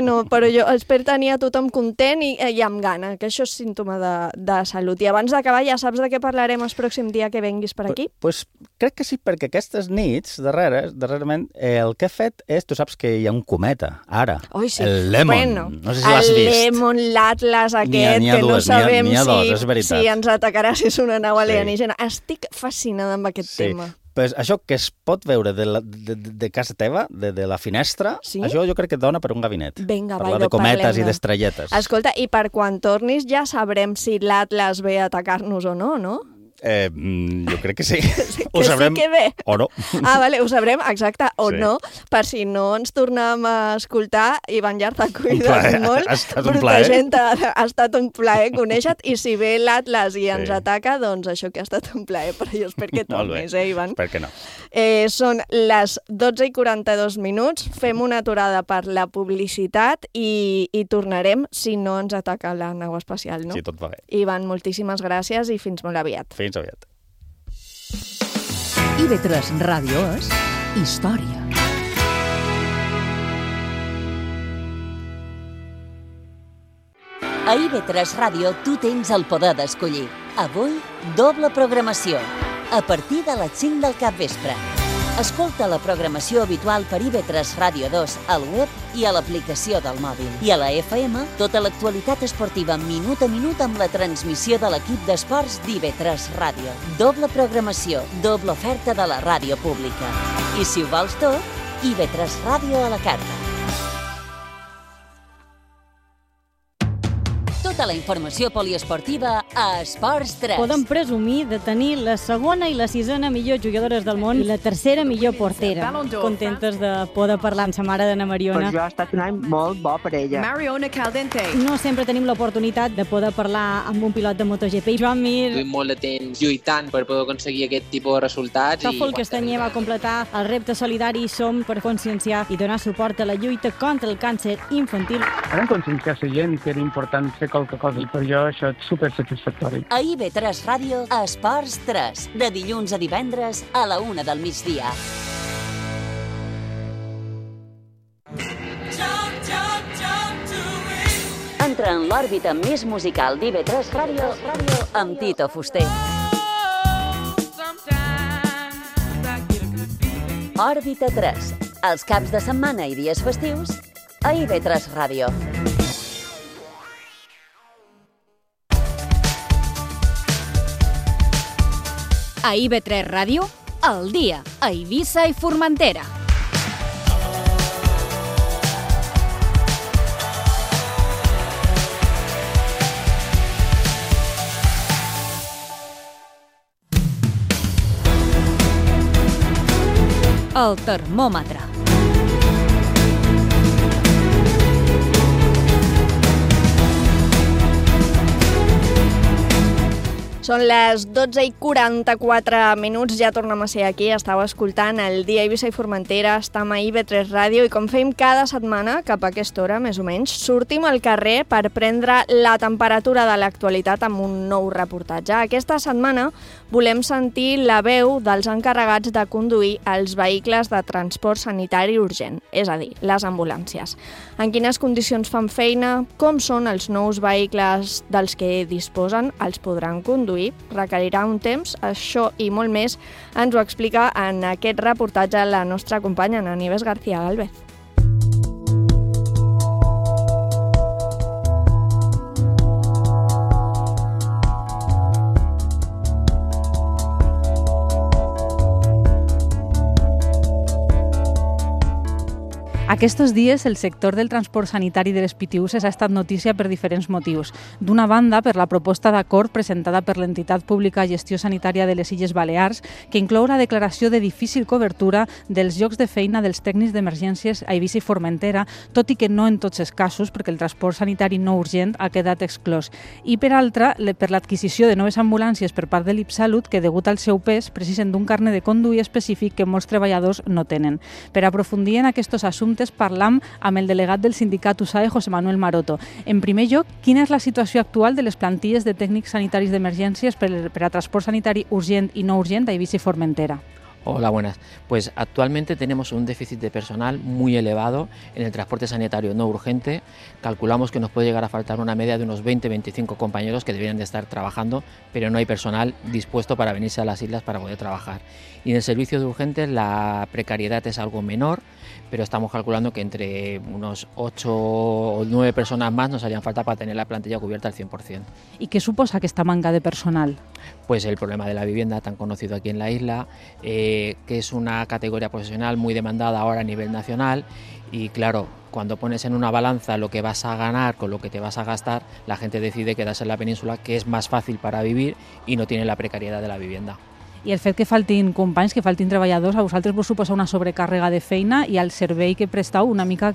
no, però jo espero tenir a tothom content i amb gana, que això és símptoma de salut. I abans d'acabar, ja saps de què parlarem el pròxim dia que venguis per aquí? Pues crec que sí, perquè aquestes nits, darrerament, el que he fet és, tu saps que hi ha un cometa, ara, el Lemon, no sé si l'has vist. El Lemon, l'Atlas aquest, que no sabem si ens atacarà, si és una nau alienígena. Estic fascinada amb aquest tema. Pues això que es pot veure de casa teva, de la finestra, això jo crec que et dona per un gabinet. Vinga, parlar de cometes i d'estrelletes. Escolta, i per quan tornis ja sabrem si l'Atlas ve a atacar-nos o no, no? Jo crec que sí. Ho sabrem sí que ve. O no. Vale, ho sabrem, exacte, o no, per si no ens tornem a escoltar. Ivan Llar, t'ha cuidat molt. Ha estat un plaer. Ha estat un plaer conèixer-te, i si ve l'Atlas i ens ataca, doncs això que ha estat un plaer, però jo espero que tornis, Ivan? Espero que no. Són les 12:42, fem una aturada per la publicitat i tornarem si no ens ataca la nau espacial, no? Sí, tot va bé. Ivan, moltíssimes gràcies i fins molt aviat. Fins aviat. IB3 Ràdio és història. A IB3 Ràdio tu tens el poder d'escollir. Avui, doble programació. A partir de les 5 del capvespre. Escolta la programació habitual per IB3 Ràdio 2 al web i a l'aplicació del mòbil. I a la FM, tota l'actualitat esportiva minut a minut amb la transmissió de l'equip d'esports d'IB3 Ràdio. Doble programació, doble oferta de la ràdio pública. I si ho vols tot, IB3 Ràdio a la carta. Tota la informació poliesportiva a Esports 3. Podem presumir de tenir la segona i la sisena millor jugadores del món i la tercera millor portera. Contentes de poder parlar amb sa mare d'Anna Mariona. Per jo ha estat un any molt bo per ella. Mariona Caldente. No sempre tenim l'oportunitat de poder parlar amb un pilot de MotoGP. Joan Mir. Duim molt de temps lluitant per poder aconseguir aquest tipus de resultats. Tòfol Castanyer va completar el repte solidari Som per conscienciar i donar suport a la lluita contra el càncer infantil. Vam conscienciar la gent que era important fer qualque cosa i per jo això és supersatisfactori. A IB3 Ràdio, Esports 3, de dilluns a divendres a la 1 del migdia. Entra en l'òrbita més musical d'IB3 Ràdio amb Tito Fuster. Òrbita 3, els caps de setmana i dies festius a IB3 Ràdio. A IB3 Ràdio, al dia, a Eivissa i Formentera. El termòmetre. Són les 12:44, ja tornem a ser aquí, estàu escoltant el Dia Eivissa i Formentera, estem a IB3 Ràdio i com fem cada setmana, cap a aquesta hora més o menys, sortim al carrer per prendre la temperatura de l'actualitat amb un nou reportatge. Aquesta setmana volem sentir la veu dels encarregats de conduir els vehicles de transport sanitari urgent, és a dir, les ambulàncies. En quines condicions fan feina, com són els nous vehicles dels que disposen, els podran conduir, requerirà un temps, això i molt més ens ho explica en aquest reportatge la nostra companya Nieves García Galvez. Aquests dies, el sector del transport sanitari de les PTUs ha estat notícia per diferents motius. D'una banda, per la proposta d'acord presentada per l'entitat pública Gestió Sanitària de les Illes Balears, que inclou la declaració de difícil cobertura dels llocs de feina dels tècnics d'emergències a Eivissa i Formentera, tot i que no en tots els casos, perquè el transport sanitari no urgent ha quedat exclòs. I per altra, per l'adquisició de noves ambulàncies per part de l'IPSalut, que degut al seu pes precisen d'un carnet de conduir específic que molts treballadors no tenen. Per aprofundir en aquests assumptes, parlam amb el delegat del sindicat USAE, José Manuel Maroto. En primer lloc, quina és la situació actual de les plantilles de tècnics sanitaris d'emergències per a transport sanitari urgent y no urgent a Eivissa y Formentera? Hola, buenas. Pues actualmente tenemos un déficit de personal muy elevado en el transporte sanitario no urgente. Calculamos que nos puede llegar a faltar una media de unos 20-25 compañeros que deberían de estar trabajando, pero no hay personal dispuesto para venirse a las islas para poder trabajar. Y en el servicio de urgentes la precariedad es algo menor, pero estamos calculando que entre unos 8 o 9 personas más nos harían falta para tener la plantilla cubierta al 100%. ¿Y qué suposa esta manga de personal? Pues el problema de la vivienda, tan conocido aquí en la isla, que es una categoría profesional muy demandada ahora a nivel nacional y claro, cuando pones en una balanza lo que vas a ganar con lo que te vas a gastar, la gente decide quedarse en la península, que es más fácil para vivir y no tiene la precariedad de la vivienda. I el fet que faltin companys, que faltin treballadors, a vosaltres vos suposa una sobrecàrrega de feina i al servei que presteu una mica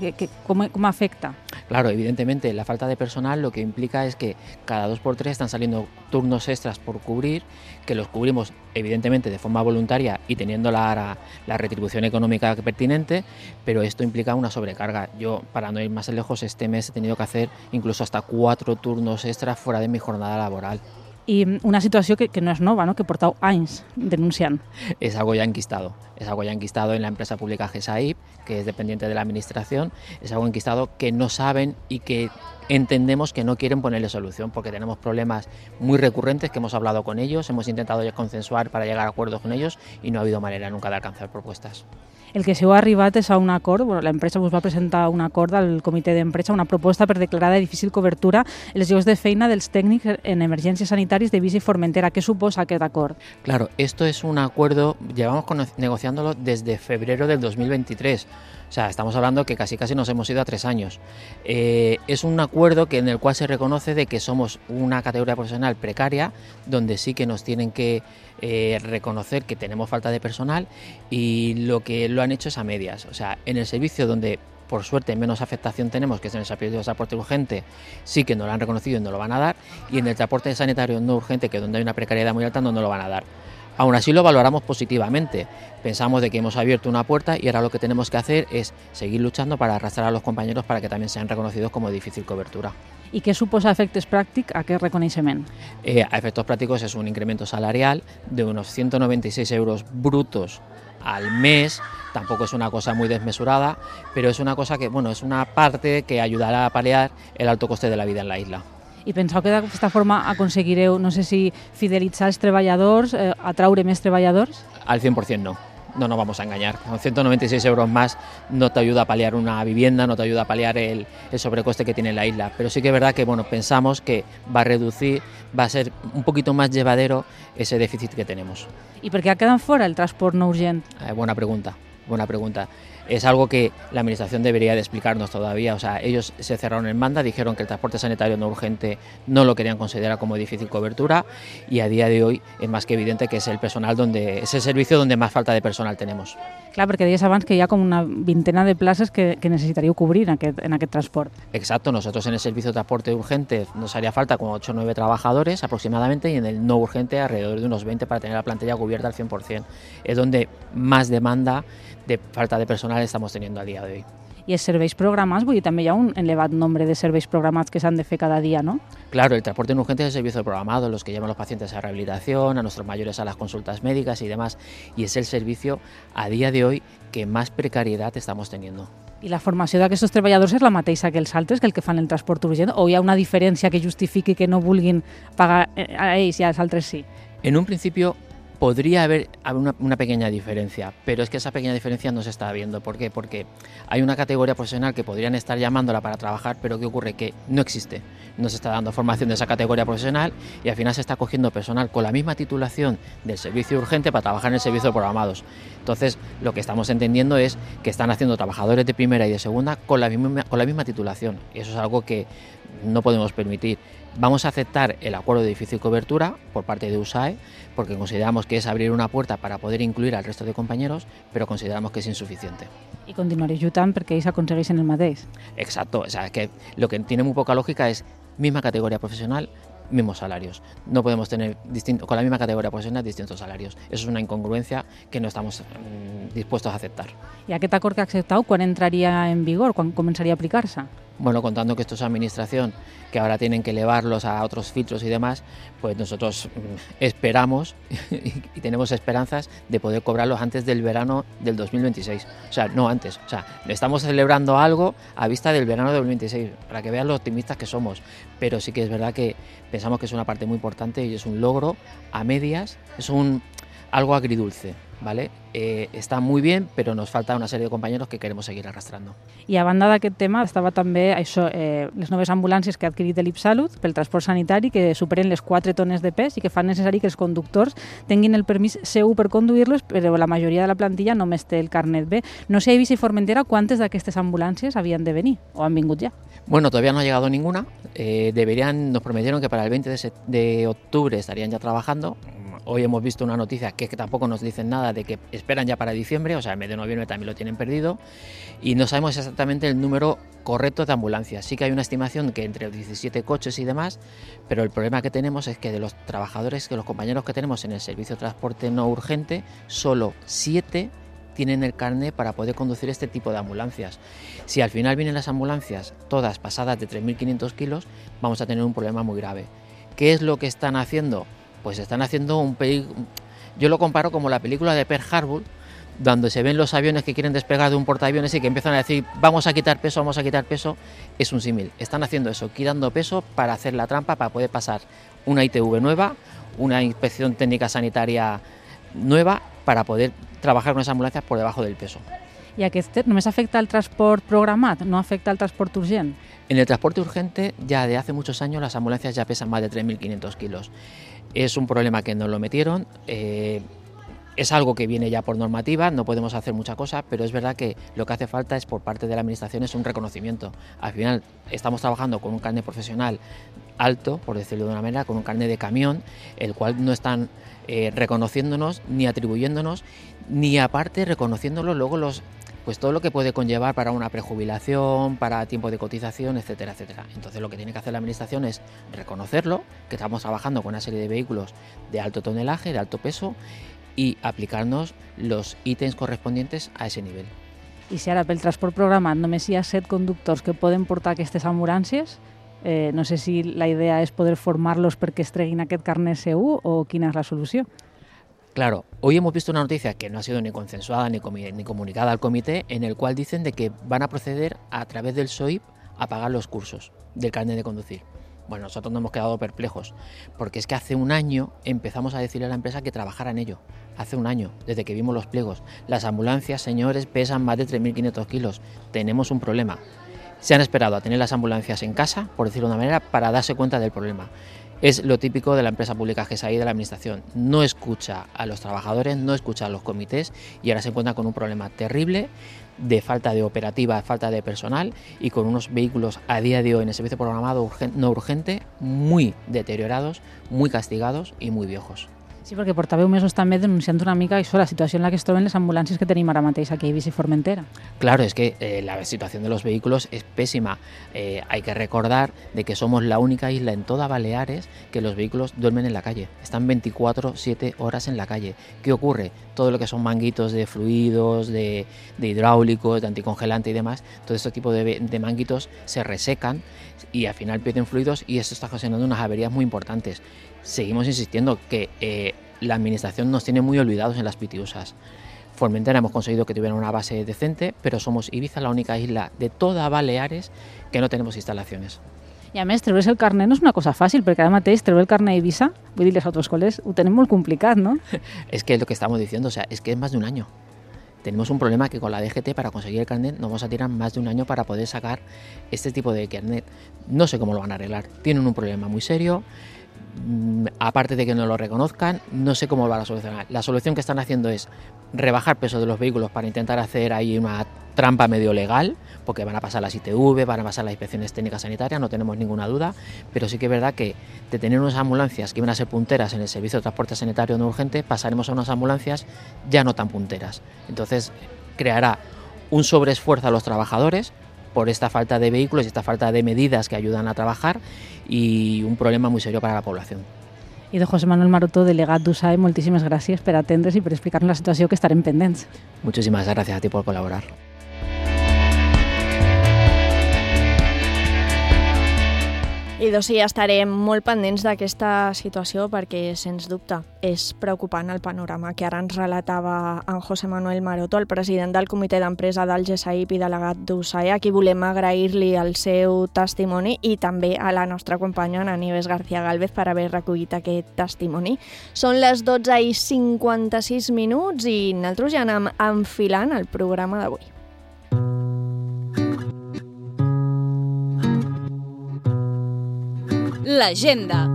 com afecta? Claro, evidentemente la falta de personal lo que implica es que cada 2 por 3 están saliendo turnos extras por cubrir, que los cubrimos evidentemente de forma voluntaria y teniendo la retribución económica pertinente, pero esto implica una sobrecarga. Yo, para no ir más lejos, este mes he tenido que hacer incluso hasta 4 turnos extras fuera de mi jornada laboral. I una situació que no és nova, ¿no? Que portau anys denunciant. Es algo ya enquistado. Es algo ya enquistado en la empresa pública GESAIP, que es dependiente de la administración. Es algo enquistado que no saben y que entendemos que no quieren ponerle solución, porque tenemos problemas muy recurrentes que hemos hablado con ellos, hemos intentado ya consensuar para llegar a acuerdos con ellos y no ha habido manera nunca de alcanzar propuestas. El que s'heu arribat és a un acord, l'empresa us va presentar un acord al comitè d'empresa, una proposta per declarar de difícil cobertura els llocs de feina dels tècnics en emergències sanitàries d'Eivissa i Formentera. ¿Qué suposa aquest acord? Claro, esto es un acuerdo, llevamos negociándolo desde febrero del 2023. O O sea, estamos hablando que casi nos hemos ido a 3 años. Es un acuerdo en el cual se reconoce de que somos una categoría profesional precaria, donde sí que nos tienen que reconocer que tenemos falta de personal, y lo que lo han hecho es a medias. O sea, en el servicio donde por suerte menos afectación tenemos, que es en el servicio de transporte urgente, sí que nos lo han reconocido y nos lo van a dar, y en el transporte sanitario no urgente, que donde hay una precariedad muy alta, no nos lo van a dar. Aún así lo valoramos positivamente. Pensamos de que hemos abierto una puerta y ahora lo que tenemos que hacer es seguir luchando para arrastrar a los compañeros para que también sean reconocidos como de difícil cobertura. I què suposa a efectes pràctics aquest reconeixement? A efectos prácticos es un incremento salarial de unos 196 euros brutos al mes. Tampoco es una cosa muy desmesurada, pero es una cosa que, bueno, es una parte que ayudará a paliar el alto coste de la vida en la isla. I penseu que d'aquesta forma aconseguireu, no sé si fidelitzar els treballadors, atraure més treballadors? Al 100% no. No nos vamos a engañar. Con 196 euros más no te ayuda a paliar una vivienda, no te ayuda a paliar el sobrecoste que tiene la isla. Pero sí que es verdad que pensamos que va a reducir, va a ser un poquito más llevadero ese déficit que tenemos. ¿Y por qué ha quedado fuera el transporte no urgent? Buena pregunta. Es algo que la Administración debería de explicarnos todavía. O sea, ellos se cerraron en banda, dijeron que el transporte sanitario no urgente no lo querían considerar como difícil cobertura, y a día de hoy es más que evidente que es el servicio donde más falta de personal tenemos. Clar, perquè deies abans que hi ha com una vintena de places que necessitaríeu cobrir en aquest transport. Exacto, nosotros en el servicio de transporte urgente nos haría falta como 8 o 9 trabajadores aproximadamente, y en el no urgente alrededor de unos 20 para tener la plantilla cubierta al 100%. Es donde más demanda de falta de personal estamos teniendo a día de hoy. I els serveis programats, vull dir, també hi ha un elevat nombre de serveis programats que s'han de fer cada dia, ¿no? Claro, el transporte no urgente es el servicio programado, los que llevan a los pacientes a rehabilitación, a nuestros mayores a las consultas médicas y demás, y es el servicio a día de hoy que más precariedad estamos teniendo. I la formació d'aquests treballadors és la mateixa que els altres, que el que fan el transport urgent, o hi ha una diferència que justifiqui que no vulguin pagar a ells i als altres sí? En un principio podría haber una pequeña diferencia, pero es que esa pequeña diferencia no se está viendo. ¿Por qué? Porque hay una categoría profesional que podrían estar llamándola para trabajar, pero ¿qué ocurre? Que no existe. No se está dando formación de esa categoría profesional, y al final se está cogiendo personal con la misma titulación del servicio urgente para trabajar en el servicio de programados. Entonces, lo que estamos entendiendo es que están haciendo trabajadores de primera y de segunda con la misma titulación. Y eso es algo que no podemos permitir. Vamos a aceptar el acuerdo de difícil cobertura por parte de USAE, porque consideramos que es abrir una puerta para poder incluir al resto de compañeros, pero consideramos que es insuficiente. I continuaré lluitant perquè ells aconsegueixen el mateix. Exacto, o sea, que lo que tiene muy poca lógica es misma categoría profesional, mismos salarios. No podemos tener con la misma categoría profesional distintos salarios. Eso es una incongruencia que no estamos dispuestos a aceptar. I aquest acord que ha acceptat, quan entraria en vigor, quan començaria a aplicar-se? Bueno, contando que esto es administración, que ahora tienen que elevarlos a otros filtros y demás, pues nosotros esperamos y tenemos esperanzas de poder cobrarlos antes del verano del 2026. O sea, no antes. O sea, estamos celebrando algo a vista del verano del 2026, para que vean lo optimistas que somos. Pero sí que es verdad que pensamos que es una parte muy importante y es un logro a medias, es algo agridulce, ¿vale? Està muy bien, però nos falta una sèrie de compañeros que queremos seguir arrastrando. I a banda d'aquest tema estava també les noves ambulàncies que ha adquirit l'Ipsalut pel transport sanitari, que superen les 4 tones de pes i que fan necessari que els conductors tinguin el permís C1 per conduir-los, però la majoria de la plantilla només té el carnet B. No sé a Eivissa i Formentera quantes d'aquestes ambulàncies havien de venir o han vingut ja. Bueno, todavía no ha llegado ninguna. Nos prometieron que para el 20 de octubre estarían ya trabajando. Hoy hemos visto una noticia que tampoco nos dicen nada de que esperan ya para diciembre, o sea, el mes de noviembre también lo tienen perdido, y no sabemos exactamente el número correcto de ambulancias. Sí que hay una estimación que entre 17 coches y demás, pero el problema que tenemos es que de los trabajadores, que los compañeros que tenemos en el servicio de transporte no urgente, solo 7 tienen el carnet para poder conducir este tipo de ambulancias. Si al final vienen las ambulancias todas pasadas de 3.500 kilos, vamos a tener un problema muy grave. ¿Qué es lo que están haciendo? Pues están haciendo yo lo comparo como la película de Pearl Harbor, donde se ven los aviones que quieren despegar de un portaaviones y que empiezan a decir vamos a quitar peso, es un símil. Están haciendo eso, quitando peso para hacer la trampa, para poder pasar una ITV nueva, una inspección técnica sanitaria nueva, para poder trabajar con esas ambulancias por debajo del peso. I aquest només afecta al transport programat, no afecta al transport urgent? En el transporte urgente ya de hace muchos años las ambulancias ya pesan más de 3.500 kilos. Es un problema que nos lo metieron. Es algo que viene ya por normativa, no podemos hacer mucha cosa, pero es verdad que lo que hace falta es por parte de la administración es un reconocimiento. Al final estamos trabajando con un carnet profesional alto, por decirlo de una manera, con un carnet de camión, el cual no están reconociéndonos ni atribuyéndonos, ni aparte reconociéndolo luego pues todo lo que puede conllevar para una prejubilación, para tiempo de cotización, etcétera, etcétera. Entonces lo que tiene que hacer la administración es reconocerlo, que estamos trabajando con una serie de vehículos de alto tonelaje, de alto peso, i aplicar-nos els ítems correspondients a aquest nivell. I si ara pel transport programat només hi ha 7 conductors que poden portar aquestes ambulàncies, no sé si la idea és poder formar-los perquè es treguin aquest carnet C1 o quina és la solució. Claro, hoy hemos visto una noticia que no ha sido ni consensuada ni comunicada al comité, en el cual dicen de que van a proceder a través del SOIP a pagar los cursos del carnet de conducir. Bueno, nosotros nos hemos quedado perplejos, porque es que hace un año empezamos a decirle a la empresa que trabajara en ello. Hace un año, desde que vimos los pliegos. Las ambulancias, señores, pesan más de 3.500 kilos. Tenemos un problema. Se han esperado a tener las ambulancias en casa, por decirlo de una manera, para darse cuenta del problema. Es lo típico de la empresa pública GESAI, de la administración. No escucha a los trabajadores, no escucha a los comités y ahora se encuentra con un problema terrible de falta de operativa, falta de personal y con unos vehículos a día de hoy en el servicio programado no urgente muy deteriorados, muy castigados y muy viejos. Sí, perquè portàveu mesos també denunciant una mica això, la situació en la que es troben les ambulàncies que tenim ara mateix aquí a Eivissa i Formentera. Claro, es que la situación de los vehículos es pésima. Hay que recordar de que somos la única isla en toda Baleares que los vehículos duermen en la calle. Están 24/7 horas en la calle. ¿Qué ocurre? Todo lo que son manguitos de fluidos, de hidráulicos, de anticongelante y demás, todo este tipo de manguitos se resecan y al final pierden fluidos y esto está ocasionando unas averías muy importantes. Seguimos insistiendo que la administración nos tiene muy olvidados en las pitiusas. Formentera hemos conseguido que tuviera una base decente, pero somos Ibiza la única isla de toda Baleares que no tenemos instalaciones. I a més, treure's el carnet no és una cosa fàcil, perquè ara mateix treure el carnet a Eivissa, vull dir, les autoescoles ho tenen molt complicat, ¿no? Es que es lo que estamos diciendo, o sea, es que es más de un año. Tenemos un problema que con la DGT para conseguir el carnet nos vamos a tirar más de un año para poder sacar este tipo de carnet. No sé cómo lo van a arreglar. Tienen un problema muy serio. Aparte de que no lo reconozcan, no sé cómo lo van a solucionar. La solución que están haciendo es rebajar peso de los vehículos para intentar hacer ahí una trampa medio legal, porque van a pasar las ITV, van a pasar las inspecciones técnicas sanitarias, no tenemos ninguna duda, pero sí que es verdad que de tener unas ambulancias que iban a ser punteras en el servicio de transporte sanitario no urgente, pasaremos a unas ambulancias ya no tan punteras. Entonces creará un sobreesfuerzo a los trabajadores por esta falta de vehículos y esta falta de medidas que ayudan a trabajar y un problema muy serio para la población. I de José Manuel Marotó, delegat d'USAE, moltíssimes gràcies per atendre's i per explicar-nos la situació, que estarem pendents. Muchísimas gracias a ti por colaborar. I doncs sí, estarem molt pendents d'aquesta situació perquè, sens dubte, és preocupant el panorama que ara ens relatava en José Manuel Marotó, el president del comitè d'empresa del GESAIP i delegat d'USAE, a qui volem agrair-li el seu testimoni i també a la nostra companya, Ana Nieves García Gálvez, per haver recollit aquest testimoni. Són les 12:56 i nosaltres ja anem enfilant el programa d'avui. L'agenda.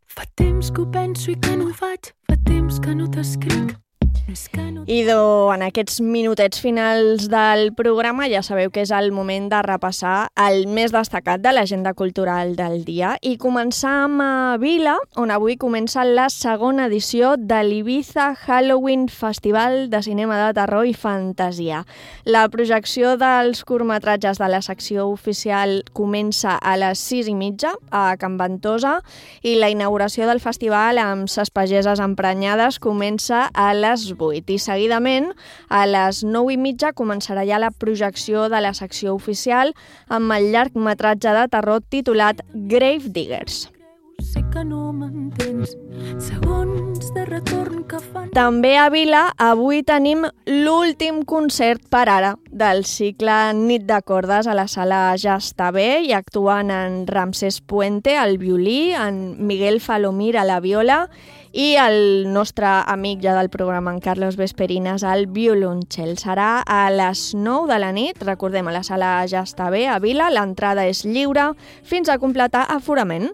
Fa temps que ho penso i que no ho faig, fa temps que no t'escric. I en aquests minutets finals del programa ja sabeu que és el moment de repassar el més destacat de l'agenda cultural del dia i començar a Vila, on avui comença la segona edició de l'Ibiza Halloween Festival de Cinema de Terror i Fantasia. La projecció dels curtmetratges de la secció oficial comença a les 6:30 a Can Ventosa i la inauguració del festival amb ses pageses emprenyades comença a les 8 i seguidament a les 9:30 començarà ja la projecció de la secció oficial amb el llargmetratge de terror titulat Grave Diggers. Sé que no m'entens, segons de retorn que fan... També a Vila avui tenim l'últim concert per ara del cicle Nit de Cordes a la sala Ja està bé i actuen en Ramsés Puente al violí, en Miguel Falomir a la viola i el nostre amic ja del programa, en Carlos Vesperines, al violoncel. Serà a les 9 de la nit, recordem, a la sala Ja està bé, a Vila. L'entrada és lliure fins a completar aforament.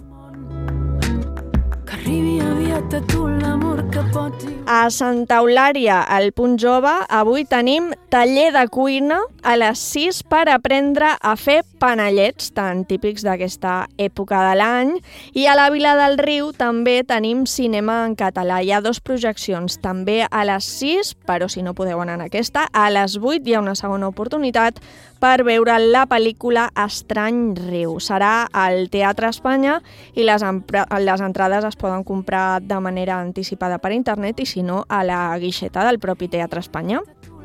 Que arribi aviat a tu l'amor que pots... A Santa Eulària, al Punt Jove, avui tenim taller de cuina a les 6 per aprendre a fer panellets, tan típics d'aquesta època de l'any. I a la Vila del Riu també tenim cinema en català. Hi ha 2 projeccions, també a les 6, però si no podeu anar en aquesta, a les 8 hi ha una segona oportunitat per veure la pel·lícula Estrany Riu. Serà al Teatre Espanya i les entrades es poden comprar de manera anticipada per internet i si no a la guixeta del propi Teatre Espanya.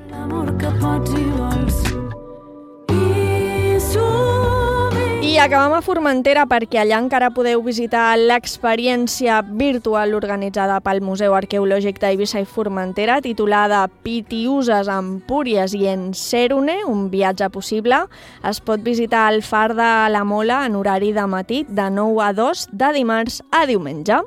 L'amor que pots i vols. I acabem a Formentera perquè allà encara podeu visitar l'experiència virtual organitzada pel Museu Arqueològic d'Eivissa i Formentera titulada Pitiüses, Empúries i Encérune, un viatge possible. Es pot visitar el Far de la Mola en horari de matí de 9 a 2 de dimarts a diumenge.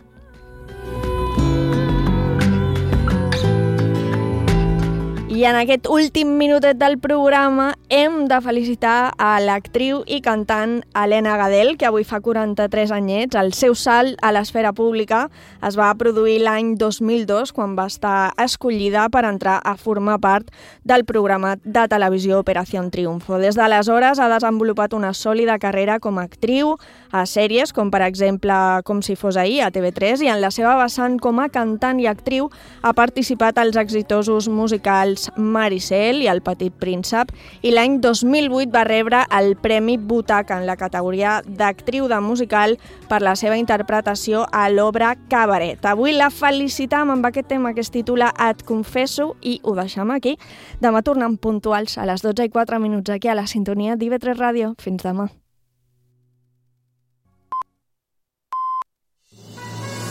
I en aquest últim minutet del programa hem de felicitar a l'actriu i cantant Helena Gadel, que avui fa 43 anyets. El seu salt a l'esfera pública es va produir l'any 2002, quan va estar escollida per entrar a formar part del programa de televisió Operació Triunfo. Des d'aleshores ha desenvolupat una sòlida carrera com a actriu a sèries, com per exemple Com si fos ahir, a TV3, i en la seva vessant com a cantant i actriu ha participat als exitosos musicals Maricel i El Petit Príncep, i l'any 2008 va rebre el Premi Butaca en la categoria d'actriu de musical per la seva interpretació a l'obra Cabaret. Avui la felicitam amb aquest tema que es titula Et confesso i ho deixem aquí. Demà tornem puntuals a les 12:04 aquí a la sintonia d'IV3 Ràdio. Fins demà.